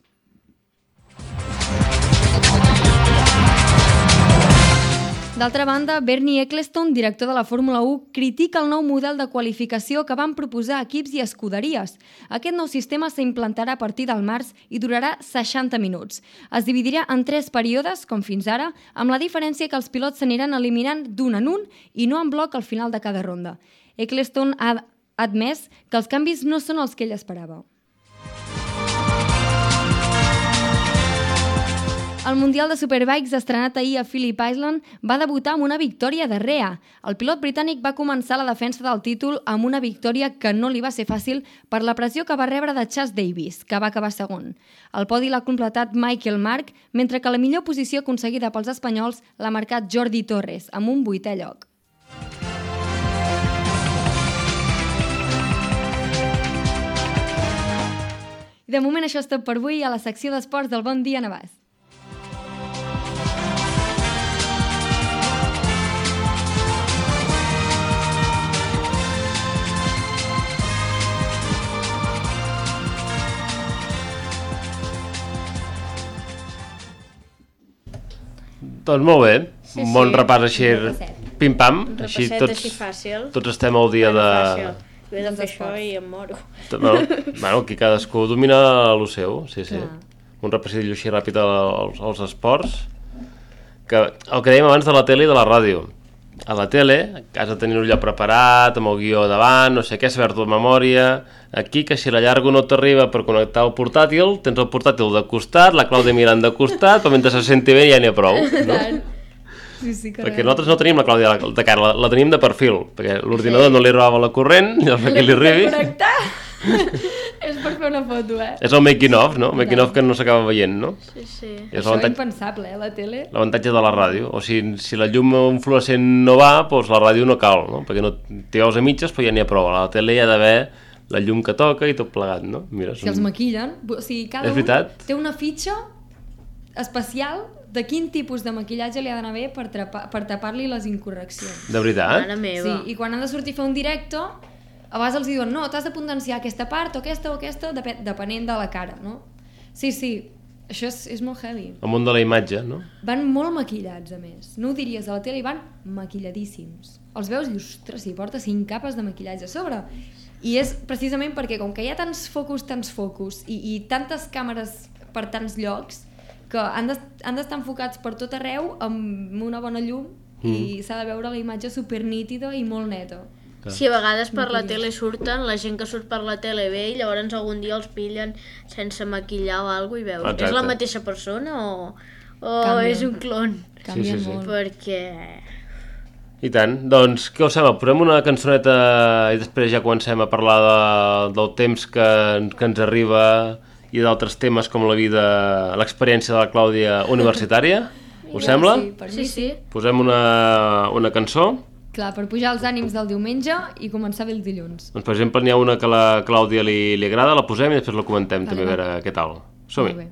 D'altra banda, Bernie Ecclestone, director de la Fórmula 1, critica el nou model de qualificació que van proposar equips i escuderies. Aquest nou sistema s'implantarà a partir del març i durarà 60 minuts. Es dividirà en 3 períodes, com fins ara, amb la diferència que els pilots s'aniran eliminant d'un en un i no en bloc al final de cada ronda. Ecclestone ha admès que els canvis no són els que ell esperava. El Mundial de Superbikes, estrenat ahir a Phillip Island, va debutar amb una victòria de Rea. El pilot britànic va començar la defensa del títol amb una victòria que no li va ser fàcil per la pressió que va rebre de Chas Davis, que va acabar segon. El podi l'ha completat Michael Marc, mentre que la millor posició aconseguida pels espanyols l'ha marcat Jordi Torres, amb un 8è lloc. I de moment això és tot per avui a la secció d'esports del Bon Dia Navàs. Doncs molt bé, Sí, un bon sí. repàs així, pim-pam, Un així repasset així fàcil. tots estem al dia de... Fàcil. He de fer això i em moro. Bueno, aquí cadascú domina el seu, sí. Clar. Un repassillo així ràpid als esports, que el que dèiem abans de la tele i de la ràdio. A la tele has de tenir-ho allò preparat, amb el guió davant, no sé què, saber-t'ho de memòria. Aquí, que si la llargo no t'arriba per connectar el portàtil, tens el portàtil de costat, la Clàudia mirant de costat, però mentre se senti bé ja n'hi ha prou, no? Sí, Perquè nosaltres no tenim la Clàudia de cara, la tenim de perfil, perquè l'ordinador no li arribava la corrent, llavors perquè li arribi... Connectar! És per fer una foto, És el making of, no? Making of que no s'acaba veient, no? Sí, sí. És Això és impensable, la tele. l'avantatge de la ràdio. O sigui, si la llum fluorescent no va, doncs la ràdio no cal, no? Perquè no t'hi veus a mitges, però ja n'hi ha prou. A la tele hi ha d'haver la llum que toca i tot plegat, no? Mira, Si els maquillen, o sigui, cada És veritat. un té una fitxa especial de quin tipus de maquillatge li ha d'anar bé per tapar-li les incorreccions. De veritat? Mare meva. Sí, i quan han de sortir a fer un directe, a vegades els diuen, no, t'has de potenciar aquesta part o aquesta, depenent de la cara, no? Sí, això és molt heavy. El món de la imatge, no? Van molt maquillats, a més. No ho diries, a la tele i van maquilladíssims. Els veus i, ostres, si porta 5 capes de maquillatge a sobre. I és precisament perquè, com que hi ha tants focus i tantes càmeres per tants llocs, que han d'estar enfocats per tot arreu amb una bona llum i s'ha de veure la imatge supernítida i molt neta. Si a vegades per la tele surten, la gent que surt per la tele ve i llavors algun dia els pillen sense maquillar o alguna cosa i veus, Exacte. és la mateixa persona o Canvia. és un clon? Canvien Sí. molt. Perquè... I tant. Doncs, què us sembla? Posem una cançoneta i després ja comencem a parlar del temps que ens arriba i d'altres temes com la vida, l'experiència de la Clàudia universitària. Us sembla? Sí, per mi Sí. Posem una cançó Clar, per pujar els ànims del diumenge i començar bé el dilluns. Doncs, per exemple, n'hi ha una que a la Clàudia li agrada, la posem i després la comentem també, a veure què tal. Som-hi. Molt bé.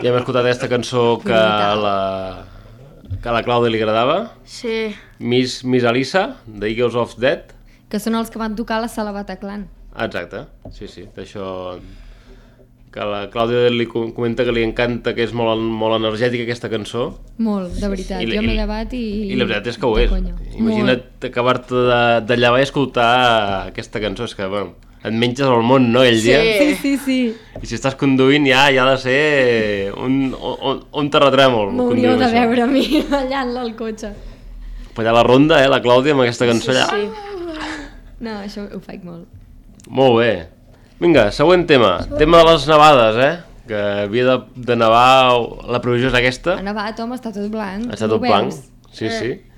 Ja hem escoltat aquesta cançó que a la Clàudia li agradava. Sí. Miss Alissa, de Eagles of Death. Que són els que van tocar a la sala Bataclan. Exacte, sí, d'això... Que la Clàudia li comenta que li encanta, que és molt energètica aquesta cançó. Molt, de veritat. Jo m'he llevat i... I la veritat és que ho és. Imagina't acabar-te de llevar i escoltar aquesta cançó. És que, bueno, et menges el món, no, aquell dia? Sí. I si estàs conduint ja ha de ser un terratrèmol. M'hauríeu de veure a mi ballant-la al cotxe. Però allà a la ronda, la Clàudia, amb aquesta cançó allà... No, això ho faig molt. Molt bé. Vinga, següent tema. Tema de les nevades, que havia de nevar, la previsió és aquesta. Ha nevat, home, està tot blanc. Està tot blanc, sí.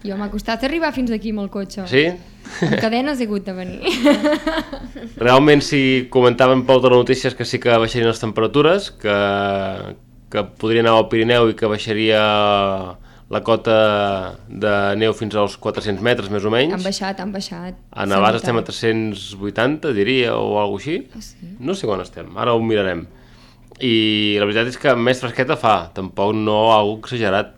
Jo m'ha costat arribar fins aquí amb el cotxe. Sí? Amb cadenes he hagut de venir. Realment, si comentaven pel notícies que sí que baixarien les temperatures, que podria anar al Pirineu i que baixaria la cota de neu fins als 400 metres, més o menys. Han baixat. A Navàs estem a 380, diria, o alguna cosa així. Sí. No sé quan estem, ara ho mirarem. I la veritat és que més fresqueta fa, tampoc no algo exagerat.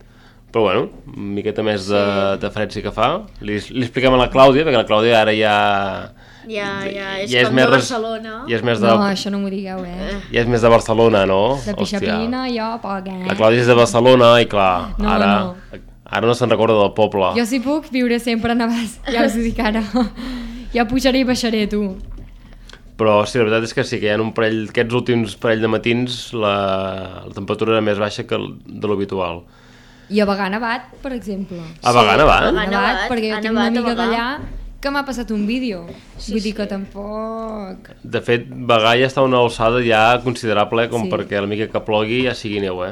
Però bueno, una miqueta més de fred sí que fa. Li expliquem a la Clàudia, perquè la Clàudia ara ja és com de Barcelona. No, això no m'ho digueu, Ja és més de Barcelona, no? De pixapina, jo poc, La Clàudia és de Barcelona i clar, ara no se'n recorda del poble. Jo si puc viure sempre a Navàs, ja us ho dic ara. Ja pujaré i baixaré, tu. Però sí, la veritat és que sí, que hi ha aquests últims parell de matins la temperatura era més baixa que de l'habitual. I a Bagà nevat, per exemple. A Bagà nevat? Nevat, perquè jo tinc una amiga d'allà que m'ha passat un vídeo. Vull dir que tampoc... De fet, Bagà ja està a una alçada ja considerable com perquè la mica que plogui ja sigui neu,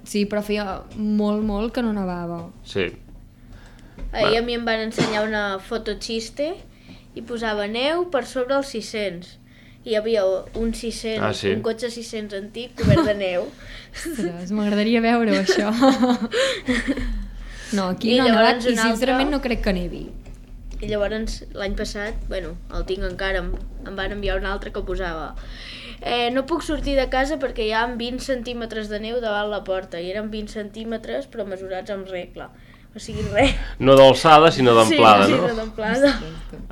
Sí, però feia molt que no nevava. Sí. Ahir a mi em van ensenyar una foto xiste i posava neu per sobre els 600. hi havia un 600, Ah, sí. un cotxe 600 antic cobert de neu. Ostres, m'agradaria veure això. No, aquí I no ha nevat llavors i un altre- sincerament no crec que nevi. I llavors l'any passat, bueno, el tinc encara, em van enviar un altre que posava no puc sortir de casa perquè hi ha 20 centímetres de neu davant la porta, i eren 20 centímetres però mesurats amb regla, o sigui res. No d'alçada, sinó d'amplada, sí, no? Sí, d'amplada.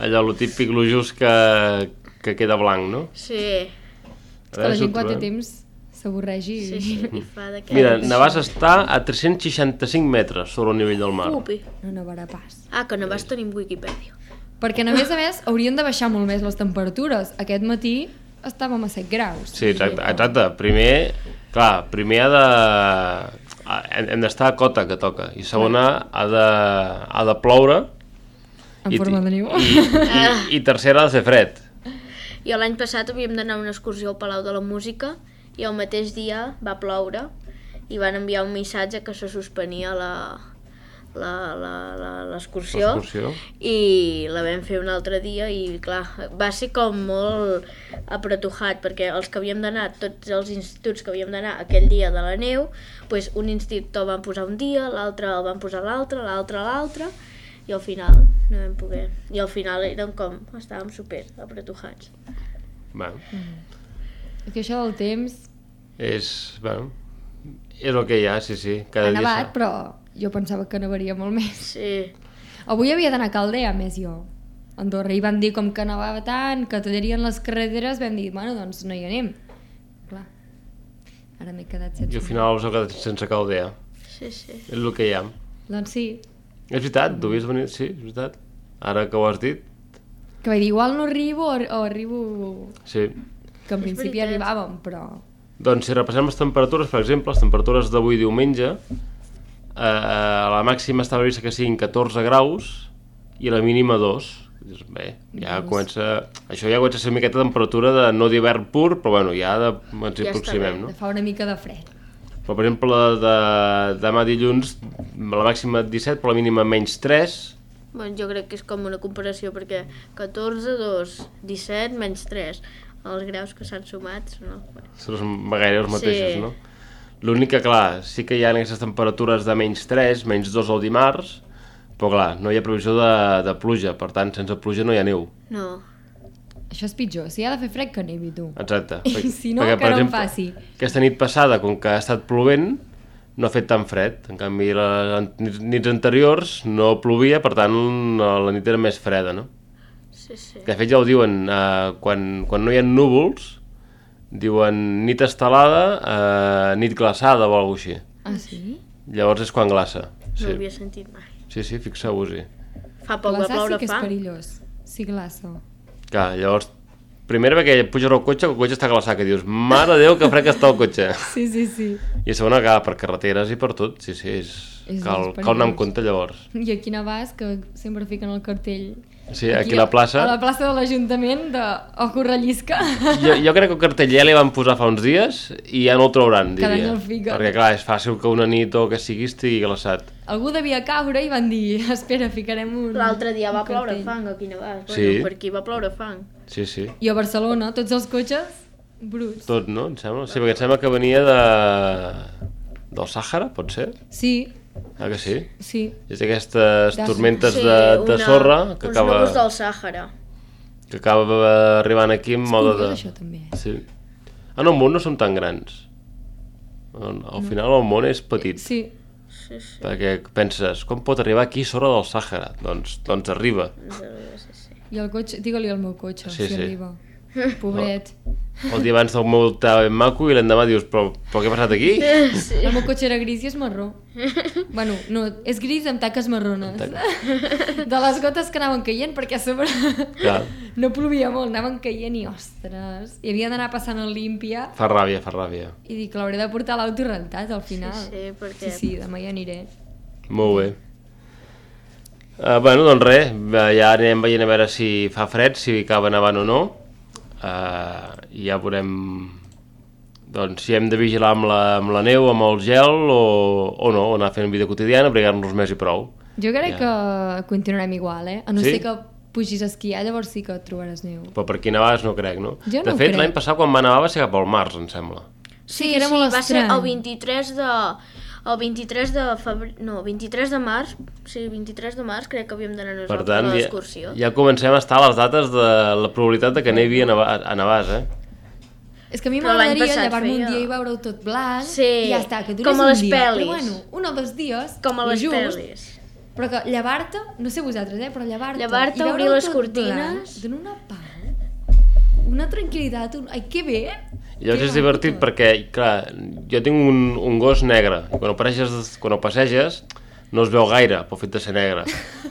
Allò, lo típic, lo just que queda blanc, no? Sí, És que la gent quan té temps s'avorregi. sí, i fa d'aquest. Mira, Navàs està a 365 metres sobre el nivell del mar. Upi. No nevarà pas. Ah, que Navàs tenim Wikipedia. Perquè a més haurien de baixar molt més les temperatures. Aquest matí estàvem a 7 graus. Sí, exacte. Primer ha de... Hem d'estar a cota, que toca. I segona, ha de ploure. En forma de neu. I tercera, ha de fer fred. I l'any passat havíem d'anar a una excursió al Palau de la Música i el mateix dia va ploure i van enviar un missatge que se suspenia l'excursió i la vam fer un altre dia i clar, va ser com molt apretujat perquè els que havíem d'anar, tots els instituts que havíem d'anar aquell dia de la neu, doncs un institut el van posar un dia, l'altre el van posar l'altre i al final no vam poder. I al final érem com, estàvem super apretujats. Bueno, És que això del temps és el que hi ha, sí. Cada ha dia nevat, però jo pensava que nevaria molt més. Sí. Avui havia d'anar a Caldea, a més jo. A Andorra, i van dir com que nevava tant, que tallarien les carreteres, vam dir, bueno, doncs no hi anem. Clar, ara m'he quedat sense... I al final us heu quedat sense Caldea. Sí. És el que hi ha. Doncs sí, És veritat, t'ho havies venit, sí, és veritat. Ara que ho has dit, que vaig dir, igual no arribo o arribo... sí. Que en principi veritat. arribàvem, però... Doncs si repassem les temperatures, per exemple, les temperatures d'avui diumenge, la màxima està prevista que siguin 14 graus i la mínima 2. Bé, ja comença... Això ja comença a ser una miqueta de temperatura de no d'hivern pur, però bueno, ja ens hi Ja està aproximem, bé, no? Fa una mica de fred. Però, per exemple, demà dilluns, la màxima 17, però la mínima menys 3. Bueno, jo crec que és com una comparació perquè 14, 2, 17, menys 3. Els graus que s'han sumat, no? Són gairebé els mateixos, Sí. no? L'únic que, clar, sí que hi ha aquestes temperatures de menys 3, menys 2 el dimarts, però, clar, no hi ha previsió de pluja, per tant, sense pluja no hi ha neu. No. Això és pitjor, si ha de fer fred que nevi, tu. Exacte. I si no, que per no en exemple, faci. Aquesta nit passada, com que ha estat plovent, no ha fet tan fred. En canvi, les nits anteriors no plovia, per tant, la nit era més freda, no? Sí. De fet, ja ho diuen, quan no hi ha núvols, diuen nit estelada, nit glaçada o alguna cosa així. Ah, sí? Llavors és quan glaça. No Sí, ho havia sentit mai. sí, fixeu-vos-hi. Fa poc va Glaçar ploure sí que és fa. perillós. Sí, glaça. Clar, llavors, primera perquè puges al cotxe, que el cotxe està glaçat, que dius, mare de Déu, que fred que està el cotxe. Sí. I a segona, clar, per carreteres i per tot, sí, cal anar amb compte llavors. I aquí a Navàs, que sempre fiquen el cartell... Sí, aquí a la plaça. A la plaça de l'Ajuntament de Ojo rellisca. Jo crec que el cartell ja li van posar fa uns dies i ja no el trauran, Cada diria. any el fiquen. Perquè, clar, és fàcil que una nit o que sigui estigui glaçat. Algú devia caure i van dir, espera, ficarem un... L'altre dia va un ploure cartell. fang aquí a Navàs. Sí. Bueno, per aquí va ploure fang. Sí. I a Barcelona, tots els cotxes bruts. Tot, no? Em sembla? Sí, perquè em sembla que venia del Sàhara, pot ser? Sí, Ah, que sí? sí. És d'aquestes tormentes Sí, de sorra que uns acaba... núvols del Sàhara. que acaba arribant aquí en mode de... Curiós, això, també. Sí. Ah, no, el món no són tan grans. Al final el món és petit. Sí. Sí. Perquè penses, com pot arribar aquí sorra del Sàhara? Doncs arriba. I el cotxe, digue-li al meu cotxe, Sí, si sí. arriba. Pobret. El dia abans del meu estava ben maco i l'endemà dius, però què ha passat aquí? El meu cotxe era gris i és marró. Bueno, no, és gris amb taques marrones. De les gotes que anaven caient, perquè a sobre Clar. no plovia molt, anaven caient i ostres. I havia d'anar passant el límpia Fa ràbia. i dic, l'hauré de portar a l'auto rentat al final. Sí, perquè... Sí, demà hi aniré. Molt bé. Bueno, doncs res, ja anem veient a veure si fa fred, si acaba nevant o no. I ja veurem doncs, si hem de vigilar amb la neu, amb el gel o no, o anar fent vida quotidiana, abrigar-nos més i prou. Jo crec que continuarem igual, a no Sí? ser que pugis a esquiar, llavors sí que et trobaràs neu. Però per aquí nevaves no crec, no? Jo no de ho fet, crec. l'any passat quan va nevar va ser cap al març, em sembla. Sí, era molt va ser estrany. el 23 de febrer... No, 23 de març. Sí, 23 de març crec que havíem d'anar Per nosaltres tant, a l'excursió. ja comencem a estar a les dates de la probabilitat de que nevi a Navàs, eh? És que a mi Però l'any m'agradaria passat llevar-me un feia- dia i veure-ho tot blanc Sí, i ja està, que durés com a un les dia. pel·lis. Però bueno, un o dos dies, Com a i les just, pel·lis. però que llevar-te, no sé vosaltres, però llevar-te Llevar-te, i veure-ho obrir les tot cortines. blanc, dona una pau, una tranquil·litat, ai, que bé! Llavors és divertit perquè, clar, jo tinc un gos negre i quan ho passeges no es veu gaire pel fet de ser negre.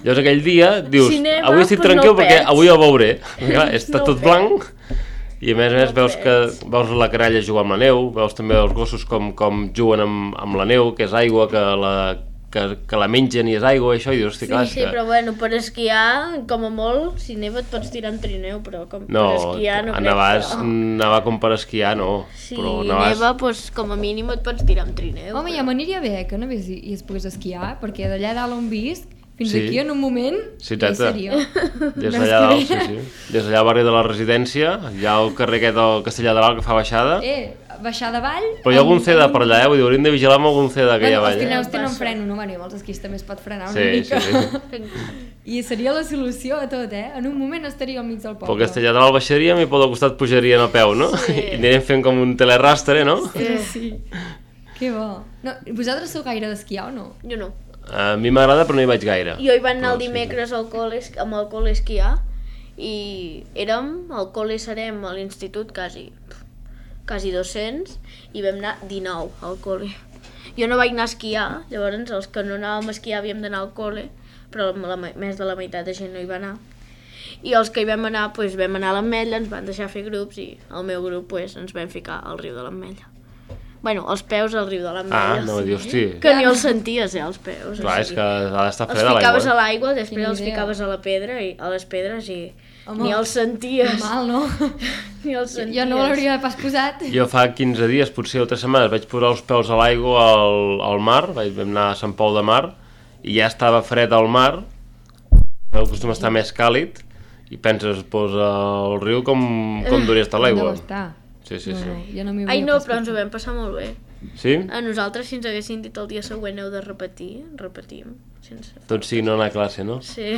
Llavors aquell dia dius, Si neva, avui estic pues tranquil no perquè perds. avui el veuré. Clar, està No tot perds. blanc i a més No veus la caralla jugar amb la neu, veus també els gossos com juguen amb la neu, que és aigua, que la mengen i és aigua, això, i dius, hosti, clar, és Sí, que... però bueno, per esquiar, com a molt, si neva et pots tirar en trineu, però per No, esquiar no a crec Navàs, que... nevar com per esquiar, no. Si Però Navàs... neva, doncs, com a mínim et pots tirar en trineu. Home, ja m'aniria bé que anés i es pogués esquiar, perquè d'allà dalt on visc, fins Sí. aquí en un moment, Sí, ja hi teta. seria. Des d'allà dalt, sí. Des d'allà al barri de la residència, hi ha el carrer aquest del Castellà de Dalt que fa baixada, Baixar de vall... però hi ha algun ceda per allà, vull dir, hauríem de vigilar amb algun ceda que hi ha Bueno, els allà. trineus tenen freno, no? Bueno, els esquís també es pot frenar una Sí, mica. sí. I seria la solució a tot, En un moment estaria al mig del Pel poble. Castellà de Dalt baixaríem i pel costat pujarien a peu, no? Sí. I anirem fent com un telerastre, no? Sí. Que bo. No, vosaltres sou gaire d'esquiar o no? Jo no. A mi m'agrada però no hi vaig gaire. Jo hi vaig anar el Però sí. dimecres al col·le, amb el col·le esquiar i érem, al col·le serem a l'institut quasi 200 i vam anar 19 al col·le. Jo no vaig anar a esquiar, llavors els que no anàvem a esquiar havíem d'anar al col·le, però més de la meitat de gent no hi va anar. I els que hi vam anar, doncs vam anar a l'Ametlla, ens van deixar fer grups i el meu grup doncs, ens vam ficar al riu de l'Ametlla. Bueno, els peus al riu de l'Ametlla. Ah, no, dius, hosti. Que ni els senties, els peus. Clar, o és sigui. que ha d'estar Els freda ficaves a l'aigua. l'aigua, després Quina els idea. ficaves a la pedra i a les pedres i Home, ni els senties. Normal, no? Ni els senties. Jo no l'hauria pas posat. Jo fa 15 dies, potser o 3 setmanes, vaig posar els peus a l'aigua al mar, vam anar a Sant Pol de Mar, i ja estava fred al mar, acostuma a estar més càlid, i penses, doncs al riu com duria estar l'aigua. Deu estar. Sí, sí, No, sí. no, jo no m'hi Ai, hauria no, pas però ens ho posat. vam passar molt bé. Sí? A nosaltres, si ens haguessin dit el dia següent heu de repetir, repetim. Sense... Tot sigui no anar a classe, no? Sí,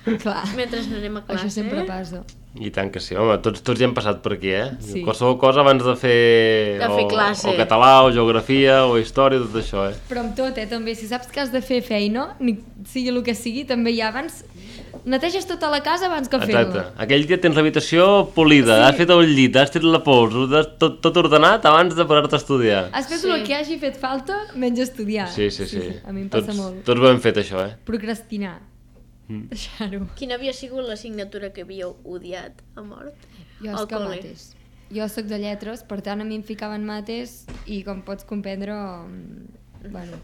Clar, mentre no anem a classe. això sempre passa. I tant que sí, home, tots hi hem passat per aquí, Sí. Qualsevol cosa abans de fer... De fer classe. O català, o geografia, o història, tot això, Però amb tot, també, si saps que has de fer feina, sigui el que sigui, també ja abans... Neteges tota la casa abans que fer-la. Exacte. Aquell dia tens l'habitació polida, has fet el llit, has tret la pols, tot ordenat abans de posar-te a estudiar. Has fet Sí. el que hagi fet falta menys estudiar. Sí, sí, sí. A mi em passa molt. Tots ho hem fet, això, Procrastinar. Deixar-ho. Quina havia sigut l'assignatura que havíeu odiat a mort? Jo Al és que col·le. mates. Jo soc de lletres, per tant a mi em ficaven mates i com pots comprendre... Bueno,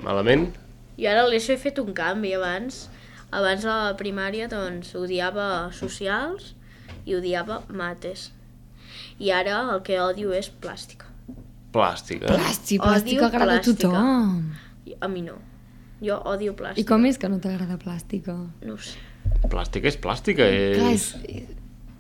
Malament? Jo ara a l'ESO he fet un canvi abans. Abans a la primària doncs odiava socials i odiava mates. I ara el que odio és plàstica. Plàstica. plàstica agrada a plàstica. tothom. A mi no. Jo odio plàstica. I com és que no t'agrada plàstica? No ho sé. Plàstica és plàstica, Clar, és...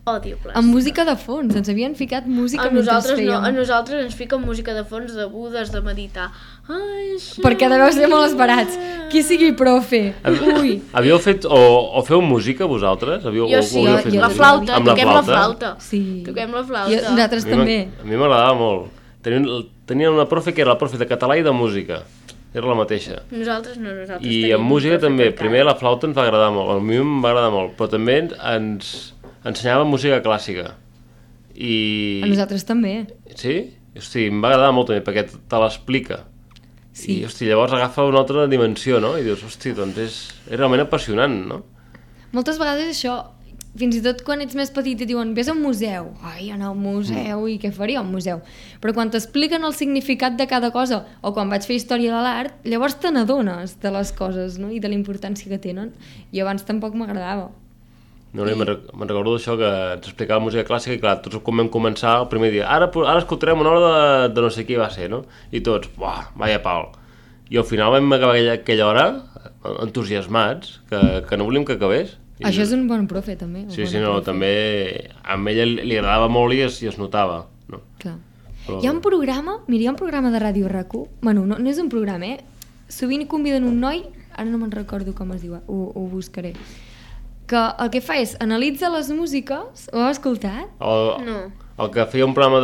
Odio plàstica. amb música de fons, ens havien ficat música A mentre nosaltres no, fèiem. a nosaltres ens fiquen música de fons de budes, de meditar. Ai, sí. Perquè deveu ser molt esperats. Qui sigui profe. Ui. Havíeu fet, o feu música, vosaltres? Havíeu, Jo sí, havíeu fet jo la música? flauta, Amb toquem la flauta. Sí. Toquem la flauta. Nosaltres A mi també. A mi m'agradava molt. Tenien una profe que era la profe de català i de música. Era la mateixa. Nosaltres no, nosaltres I tenim amb música un profe també. que Primer encara. la flauta ens va agradar molt. A mi em va agradar molt. Però també ens ensenyava música clàssica. I... A nosaltres també. Sí? Hosti, em va agradar molt també, perquè te l'explica. Sí. I, hosti, llavors agafa una altra dimensió, no? I dius, hosti, doncs és realment apassionant, no? Moltes vegades això, fins i tot quan ets més petit et diuen vés a un museu, ai, anar al museu i què faria al museu, però quan t'expliquen el significat de cada cosa o quan vaig fer història de l'art, llavors te n'adones de les coses, no? I de la importància que tenen, i abans tampoc m'agradava. No, no, me'n recordo d'això que ens explicava música clàssica i clar, tots quan vam començar el primer dia, ara escoltarem una hora de no sé qui va ser, no? I tots, buah, vaya pal. I al final vam acabar aquella hora entusiasmats, que no volíem que acabés. Això és un bon profe, també. Sí, no, també a ella li agradava molt i es notava, no? Clar. Hi ha un programa, mira, hi ha un programa de Ràdio RAC1, bueno, no és un programa, sovint conviden un noi, ara no me'n recordo com es diu, ho buscaré, que el que fa és analitza les músiques, ho heu escoltat? No. El que feia un programa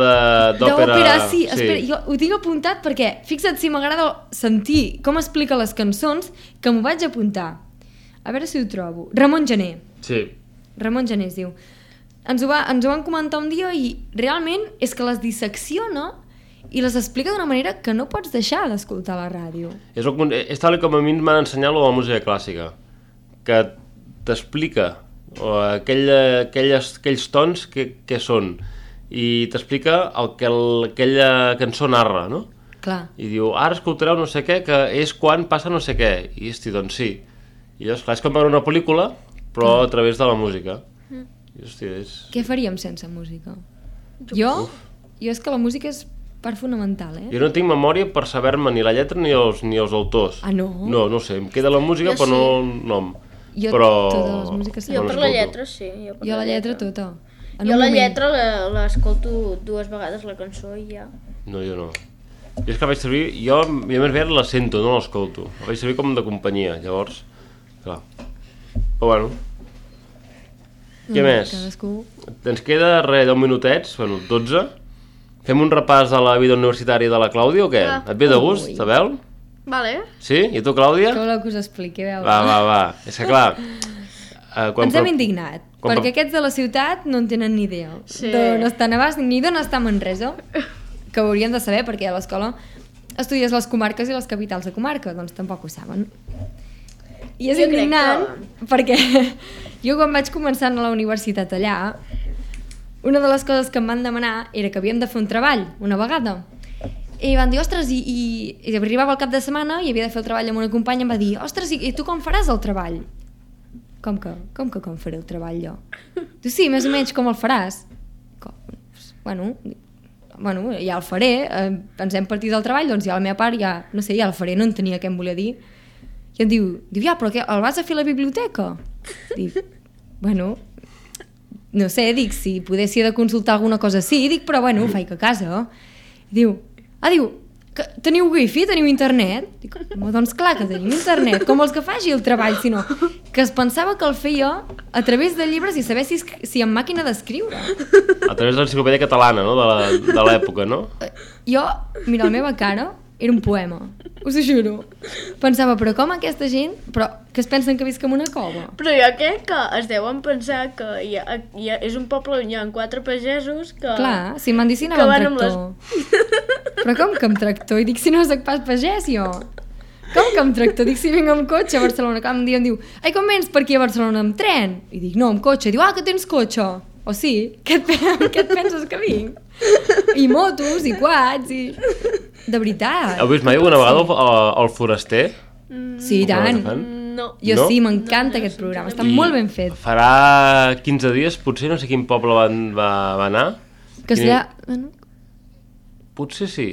d'òpera... D'òpera, sí. Espera, jo ho tinc apuntat perquè, fixa't si m'agrada sentir com explica les cançons, que m'ho vaig apuntar. A veure si ho trobo. Ramon Gené. Sí. Ramon Gené es diu. Ens ho van comentar un dia i realment és que les dissecciona i les explica d'una manera que no pots deixar d'escoltar a la ràdio. És tal com a mi m'han ensenyat lo de la música clàssica, que t'explica aquells tons que són i t'explica el que aquella cançó narra, no? Clar. I diu, ara escoltareu no sé què, que és quan passa no sé què. I hosti, doncs sí. I llavors, clar, és com veure una pel·lícula, però a través de la música. I, hosti, Què faríem sense música? Jo és que la música és part fonamental, Jo no tinc memòria per saber-me ni la lletra ni els autors. Ah, no? No sé, em queda la música però no el nom. Jo totes les músiques... Jo per la lletra sí. Jo la lletra tota. Jo la lletra l'escolto 2 vegades la cançó i ja. No, jo no. Jo és que vaig servir... Jo més aviat la sento, no l'escolto. La vaig servir com de companyia, llavors... Clar. Però bueno... Què més? Ens queda res, 10 minutets, bueno, 12. Fem un repàs de la vida universitària de la Clàudia o què? Et ve de gust, Isabel? Vale. Sí? I tu, Clàudia? Que voleu que us expliqui, veure. Va. És que clar... Ens hem indignat, perquè aquests de la ciutat no en tenen ni idea. D'on està Navàs ni d'on està Manresa, que ho haurien de saber perquè a l'escola estudies les comarques i les capitals de comarca, doncs tampoc ho saben. I és indignant perquè jo quan vaig començar a la universitat allà, una de les coses que em van demanar era que havíem de fer un treball una vegada. I van dir, ostres, i arribava el cap de setmana i havia de fer el treball amb una companya i em va dir, ostres, i tu com faràs el treball? Com faré el treball jo? Tu sí, més o menys com el faràs? Bueno, ja el faré, ens hem partit del treball, doncs ja la meva part ja, no sé, ja el faré, no entenia què em volia dir. I em diu, ja, però què, el vas a fer a la biblioteca? Dic, bueno, no sé, dic, si poguessi de consultar alguna cosa sí, dic, però bueno, ho faig a casa. Diu, que teniu wifi, teniu internet? Dic, doncs clar que tenim internet, com els que faci el treball, sinó que es pensava que el feia a través de llibres i saber si en màquina d'escriure. A través de l'enciclopèdia catalana, no?, de l'època, no? Jo, mira, la meva cara era un poema, us ho juro. Pensava, però com aquesta gent, però que es pensen que visc en una cova? Però jo crec que es deuen pensar que és un poble on hi ha 4 pagesos que... Clar, si m'han dit si anava amb tractor. Però com que amb tractor? I dic, si no soc pas pagès, jo. Com que amb tractor? Dic, si vinc amb cotxe a Barcelona. Clar, un dia em diu, ai, com vens per aquí a Barcelona amb tren? I dic, no, amb cotxe. I diu, que tens cotxe. O sí, què et penses que vinc? I motos, i quads, i... De veritat. Heu vist mai alguna vegada el Foraster? Sí, i tant. No. Jo sí, m'encanta aquest programa, està molt ben fet. Farà 15 dies, potser no sé quin poble va anar. Que serà... Potser sí.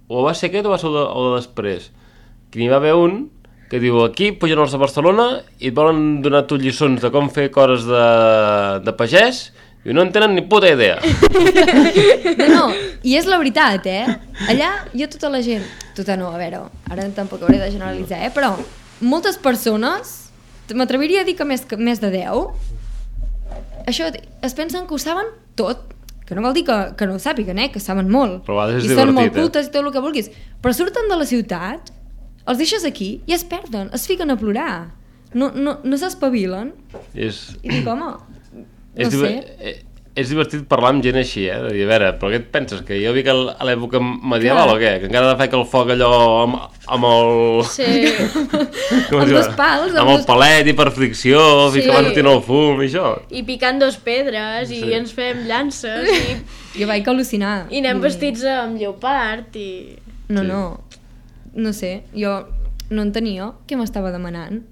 O va ser aquest o va ser el de després. Que n'hi va haver un que diu, aquí pugen els de Barcelona i et volen donar tu lliçons de com fer coses de pagès i no en tenen ni puta idea. No, i és la veritat, Allà jo tota la gent... Tota no, a veure, ara tampoc hauré de generalitzar, però moltes persones, m'atreviria a dir que més de 10, això, es pensen que ho saben tot, que no vol dir que no ho sàpiguen, que saben molt. Però a vegades és i divertit, són molt cultes i tot el que vulguis. Però surten de la ciutat, els deixes aquí i es perden, es fiquen a plorar. No s'espavilen. I dic, home... No sé. És divertit parlar amb gent així, de dir, a veure, però què et penses? Que jo vic a l'època medieval o què? Que encara faig el foc allò amb el... Sí. Amb 2 pals. Amb el palet i per fricció, i que va sortint el fum i això. I picant 2 pedres, i ens fem llances, i... Jo vaig al·lucinar. I anem vestits amb lleopard, i... No sé, jo no entenia què m'estava demanant.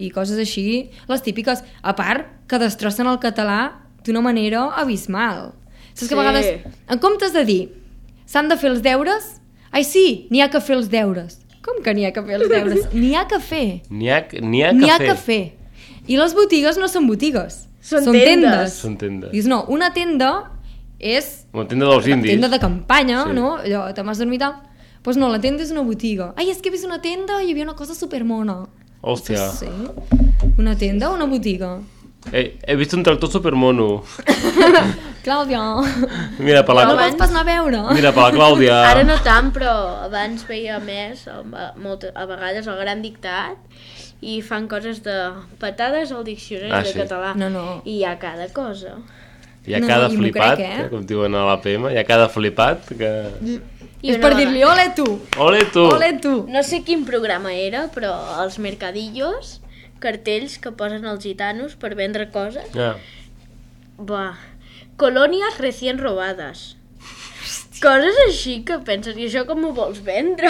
I coses així, les típiques. A part, que destrossen el català d'una manera abismal. Saps que a vegades, en comptes de dir s'han de fer els deures, ai sí, n'hi ha que fer els deures. Com que n'hi ha que fer els deures? N'hi ha que fer. N'hi ha que fer. I les botigues no són botigues. Són tendes. Són tendes. Dius, no, una tenda és... Una tenda dels la indis. tenda de campanya, Sí. no? Allò, te m'has dormit tal. Doncs no, la tenda és una botiga. Ai, és que he vist una tenda i hi havia una cosa supermona. Hòstia. Sí. Una tenda o una botiga? He vist un tractor supermono. Clàudia, Mira, per la... no vols pas anar a veure? Mira, per la Clàudia. Ara no tant, però abans veia més, a vegades el Gran Dictat, i fan coses de patades al diccionari de sí. català. No. I hi ha cada cosa. Hi ha No, cada i m'ho flipat, crec, com diuen a l'APM, hi ha cada flipat que... És per dir-li, ole tu, Ole tu! ole tu. No sé quin programa era, però els mercadillos, cartells que posen els gitanos per vendre coses. Ja. Buah. Colònies recién robades. Coses així que penses, i això com ho vols vendre?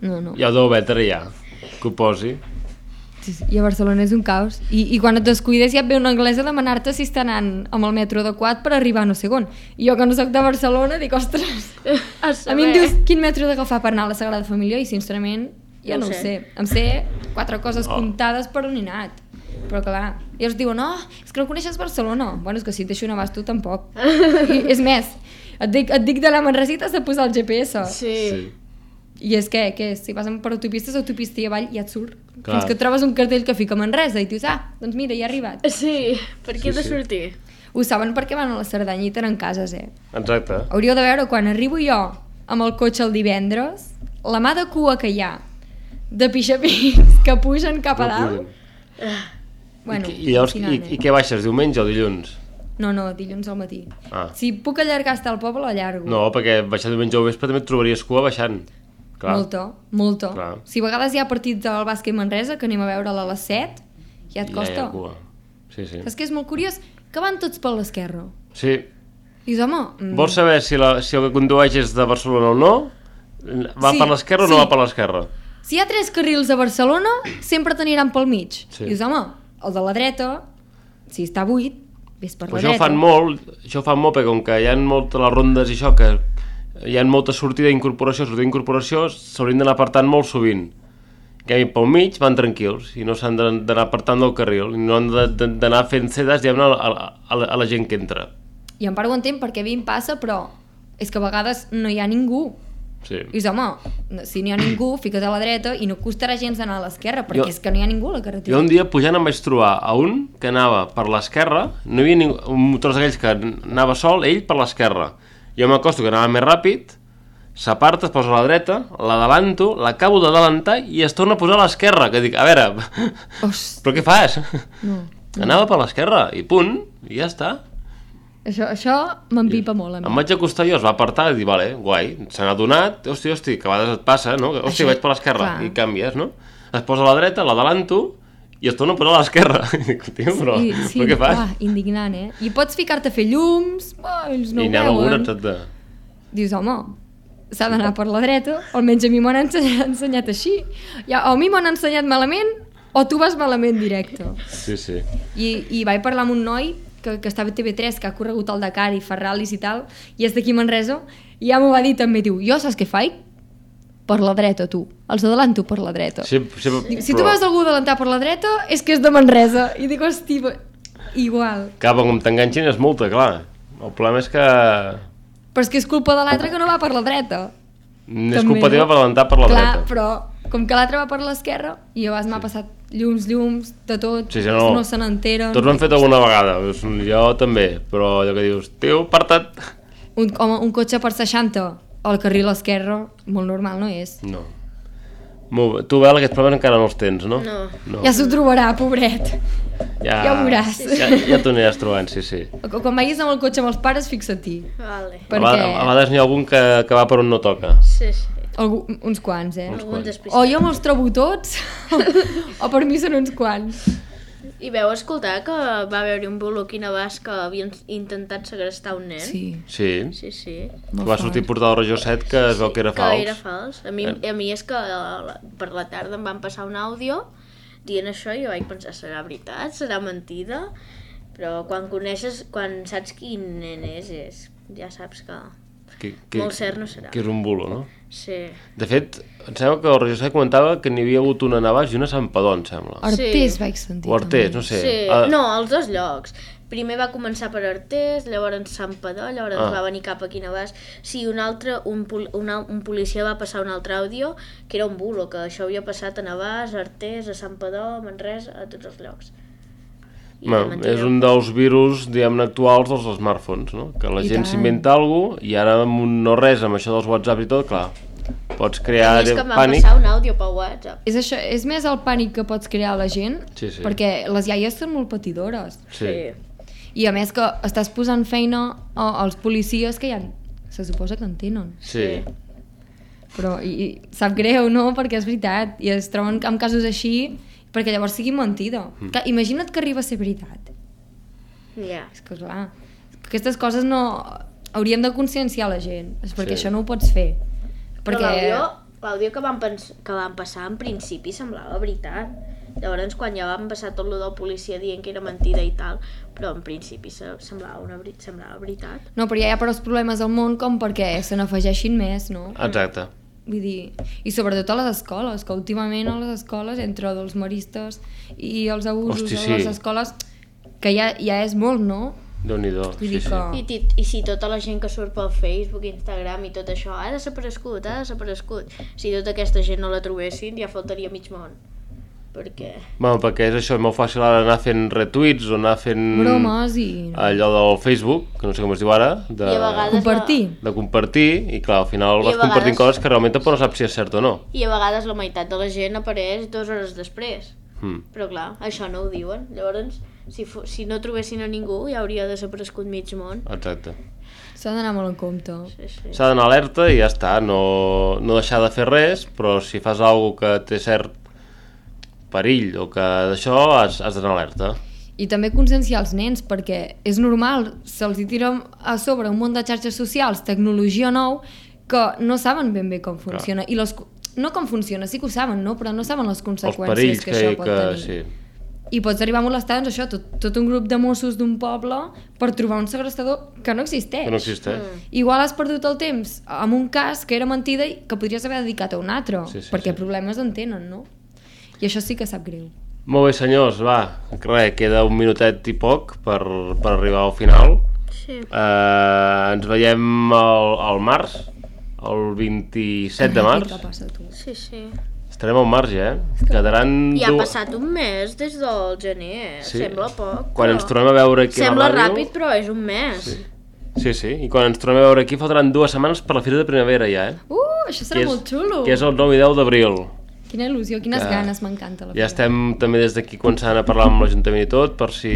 No. Ja ho deu vendre ja, que ho posi. Sí. I a Barcelona és un caos. I quan et descuides ja et ve un anglès a demanar-te si està anant amb el metro adequat per arribar a no sé on. I jo que no soc de Barcelona dic, ostres, a mi em dius quin metro he d'agafar per anar a la Sagrada Família i sincerament ja no ho sé. Em sé 4 coses comptades per on he anat. Però clar, i els diuen, no, és que no coneixes Barcelona. Bueno, és que si et deixo anar vas tu tampoc. I, és més, et dic d'anar a Manresa i t'has de posar el GPS. Sí. I és que si vas per autopistes, autopista i avall ja et surt. Clar. Fins que et trobes un cartell que fica Manresa i dius, doncs mira, ja he arribat. Sí, per aquí Sí, he de sí. sortir. Ho saben perquè van a la Cerdanya i tenen cases, Exacte. Hauríeu de veure quan arribo jo amb el cotxe el divendres, la mà de cua que hi ha, de pixapins que pugen cap a dalt. Bueno, I llavors, i què baixes, diumenge o dilluns? No, dilluns al matí. Ah. Si puc allargar fins al poble, allargo. No, perquè baixar diumenge o vespre també et trobaries cua baixant. Clar. Molta. Clar. Si a vegades hi ha partit del bàsquet Manresa, que anem a veure-la a les 7, ja et costa. Ja hi ha cua. Sí. Saps que és molt curiós? Que van tots per l'esquerra. Sí. Dius, home... Vols saber si el que condueix és de Barcelona o no? Va per l'esquerra o no va per l'esquerra? Si hi ha 3 carrils a Barcelona, sempre t'aniran pel mig. Sí. Dius, home, el de la dreta, si està buit, ves per Però la això dreta. ho fan molt perquè com que hi ha moltes les rondes i això, que hi ha molta sortida d'incorporació, s'haurien d'anar apartant molt sovint. Que pel mig van tranquils i no s'han d'anar apartant del carril i no han d'anar fent cedes a la gent que entra. I en part ho entenc perquè a mi em passa, però és que a vegades no hi ha ningú. Sí. I dius, home, si no hi ha ningú, fica't a la dreta i no costarà gens anar a l'esquerra, perquè és que no hi ha ningú a la carretera. Jo un dia pujant em vaig trobar a un que anava per l'esquerra, no hi havia un motor d'aquells que anava sol, ell per l'esquerra. Jo m'acosto que anava més ràpid, s'aparta, es posa a la dreta, l'adalanto, l'acabo d'adelantar i es torna a posar a l'esquerra, que dic, a veure, però què fas? No. Anava per l'esquerra i punt, i ja està. Això m'empipa molt a mi. Em vaig acostar jo, es va apartar i dir, vale, guai, se n'ha adonat, hosti, que a vegades et passa, no? Hosti, vaig per l'esquerra, clar. i canvies, no? Es posa a la dreta, l'adalanto, i es torna a posar a l'esquerra. I dic, tio, però què fas? Clar, indignant, I pots ficar-te a fer llums, ells no I ho n'hi ha veuen. alguna, etcètera. Dius, home, s'ha d'anar per la dreta, almenys a mi m'ho han ensenyat així. Ja, o a mi m'ho han ensenyat malament, o tu vas malament directe. Sí. I vaig parlar amb un noi que estava a TV3, que ha corregut el Dakar i fa ral·lis i tal, i és d'aquí Manresa, i ja m'ho va dir també, diu, jo saps què faig? Per la dreta, tu. Els adelanto per la dreta. Sí, Dic, si tu veus algú adelantar per la dreta, és que és de Manresa. I dic, hosti, igual. Cap, com t'enganxin és multa, clar. El problema és que Però és que és culpa de l'altre que no va per la dreta. és També, culpa teva no? per adelantar per la Clar, dreta. però com que l'altre va per l'esquerra, i a vegades m'ha passat llums, de tot, Sí, no. no se n'enteren. Tots ho han fet alguna vegada, jo també, però allò que dius, tio, aparta't. Un cotxe per 60 al carril esquerre, molt normal no és. No. Tu, Bel, aquests problemes encara no els tens, no? No. Ja s'ho trobarà, pobret. Ja ho veuràs. Ja t'ho aniràs trobant, sí. Quan vagis amb el cotxe amb els pares, fixa-t'hi. Vale. Perquè A vegades n'hi ha algun que va per on no toca. Sí. uns quants, Alguns despistats. O jo me'ls trobo tots, o per mi són uns quants. I veu escoltar que va haver-hi un bolo aquí a Navàs que havien intentat segrestar un nen? Sí. Sí. Va sortir portar el Regió 7 que es veu que era fals. Que era fals. A mi és que per la tarda em van passar un àudio dient això i jo vaig pensar, serà veritat? Serà mentida? Però quan saps quin nen és ja saps que Molt cert no serà. Que és un bulo, no? Sí. De fet, em sembla que el Roger José comentava que n'hi havia hagut una a Navàs i una a Santpedor, em sembla. Artés vaig sentir. O Artés, també. no sé. Sí, no, als dos llocs. Primer va començar per Artés, llavors Santpedor, llavors va venir cap aquí a Navàs. Sí, un policia va passar un altre àudio, que era un bulo, que això havia passat a Navàs, a Artés, a Santpedor, a Manresa, a tots els llocs. És un dels virus, diguem-ne, actuals dels smartphones, no? Que la gent s'inventa alguna cosa i ara amb un no res, amb això dels WhatsApp i tot, clar, pots crear és que em va pànic. passar un àudio per WhatsApp. És això, és més el pànic que pots crear a la gent, Sí. perquè les iaies són molt patidores. Sí. I a més que estàs posant feina als policies que ja se suposa que en tenen. Sí. Però i sap greu, no? Perquè és veritat. I es troben amb casos així perquè llavors sigui mentida. Que, imagina't que arriba a ser veritat. Ja. És que clar, aquestes coses no... Hauríem de conscienciar la gent, és perquè Sí. això no ho pots fer. Però Perquè... l'àudio que van passar en principi semblava veritat. Llavors quan ja van passar tot lo del policia dient que era mentida i tal, però en principi semblava veritat. No, però ja hi ha prou problemes al món com perquè se n'afegeixin més, no? Exacte. Vull dir, i sobretot a les escoles, que últimament a les escoles, entre els maristes i els abusos a les escoles, que ja és molt, no? Déu-n'hi-do, Vull dir sí. que... I si tota la gent que surt pel Facebook, Instagram i tot això ha desaparegut. Si tota aquesta gent no la trobessin ja faltaria mig món. Perquè és això, és molt fàcil ara anar fent retuits o anar fent... bromes i... allò del Facebook, que no sé com es diu ara, I a vegades compartir. de compartir, i clar, al final vas compartint coses que realment tampoc no saps si és cert o no. I a vegades la meitat de la gent apareix 2 hores després. Però clar, això no ho diuen. Llavors, si no trobessin a ningú, ja hauria desaparegut mig món. Exacte. S'ha d'anar molt en compte. Sí. S'ha d'anar alerta i ja està, no deixar de fer res, però si fas alguna que té cert perill o que d'això has d'anar alerta. I també conscienciar els nens, perquè és normal, se'ls tira a sobre un munt de xarxes socials, tecnologia nou, que no saben ben bé com funciona. I no com funciona, sí que ho saben, no? Però no saben les conseqüències que això pot tenir. Sí. I pots arribar a molestar, doncs això, tot un grup de Mossos d'un poble per trobar un segrestador que no existeix. Que no existeix. Igual has perdut el temps amb un cas que era mentida i que podries haver dedicat a un altre, perquè problemes en tenen, no? I això sí que sap greu. Molt bé, senyors, va, res, queda un minutet i poc per arribar al final. Sí. Ens veiem al març, el 27 de març. Què passa, tu? Sí. Estarem al marge, Quedaran... Ja ha passat un mes des del gener, sembla poc. Quan ens tornem a veure aquí a la ràdio... Sembla ràpid, però és un mes. Sí, i quan ens tornem a veure aquí faltaran 2 setmanes per la Fira de Primavera ja, Això serà molt xulo. Que és el 9 i 10 d'abril. Quina il·lusió, quines ganes, m'encanta la Ja estem també des d'aquí començant a parlar amb l'Ajuntament i tot, per si,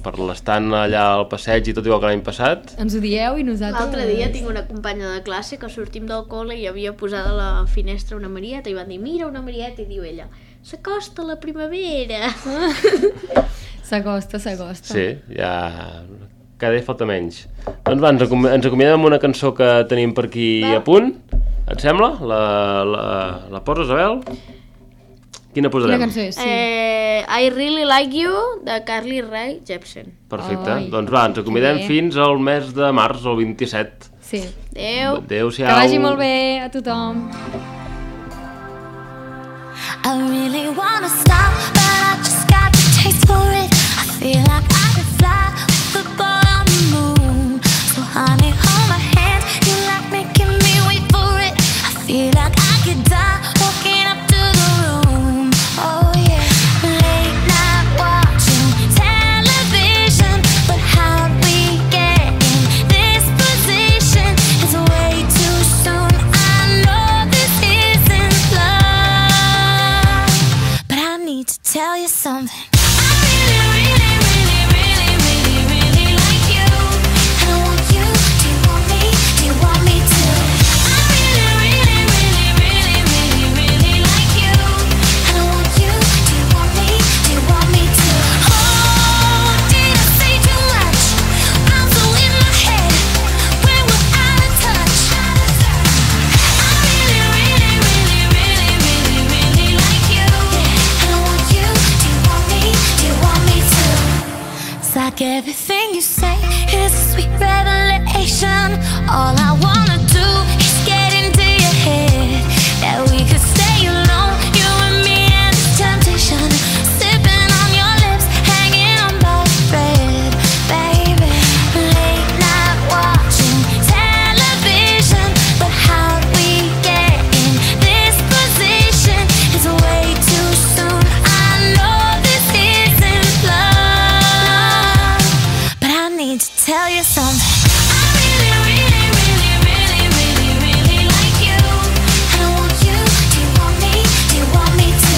per l'estant allà al passeig i tot igual que l'any passat. Ens ho dieu i nosaltres... L'altre dia tinc una companya de classe que sortim del col·le i havia posat a la finestra una marieta i van dir, mira una marieta, i diu ella, s'acosta la primavera. S'acosta. Sí, ja... Cada dia falta menys. Doncs va, ens acomiadem amb una cançó que tenim per aquí a punt. Et sembla? La poses, Abel? Quina posarem? Quina cançó és? Sí. I Really Like You, de Carly Rae Jepsen. Perfecte. Doncs va, ens acomiadem fins al mes de març, el 27. Sí. Adéu. Adéu-siau. Que vagi molt bé a tothom. I really wanna stop, but I just got the taste for it. I feel like I could fly with the ball on the moon. So honey, hold my hand, you like making me wait for it. I feel like I could die walking up to the room. Oh yeah, late night watching television, but how we get in this position is way too soon. I know this isn't love, but I need to tell you something. Like everything you say is a sweet revelation. desperation. All I wanna do is get into your head, that we could stay alone, you and me and the temptation, sipping on your lips, hanging on by a thread, baby. Late night watching television, but how'd we get in this position? It's way too soon, I know this isn't love, but I need to tell you something. I really, really, really, really, really, really like you, and I want you. Do you want me? Do you want me to?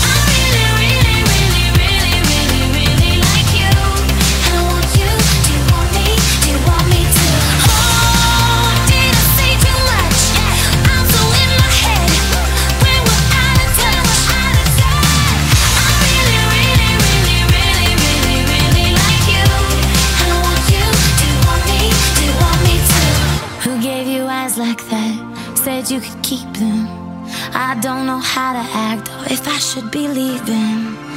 I really, really, really, really, really, really like you, and I want you. Do you want me? Do you want me to? Oh, did I say too much? I'm so in my head when we're out of touch. I really, really, really, really, really, really like you, and I want you. Do you want me? Do you want me to? Who gave you eyes like that? Said you could keep them. I don't know how to act or if I should be leaving.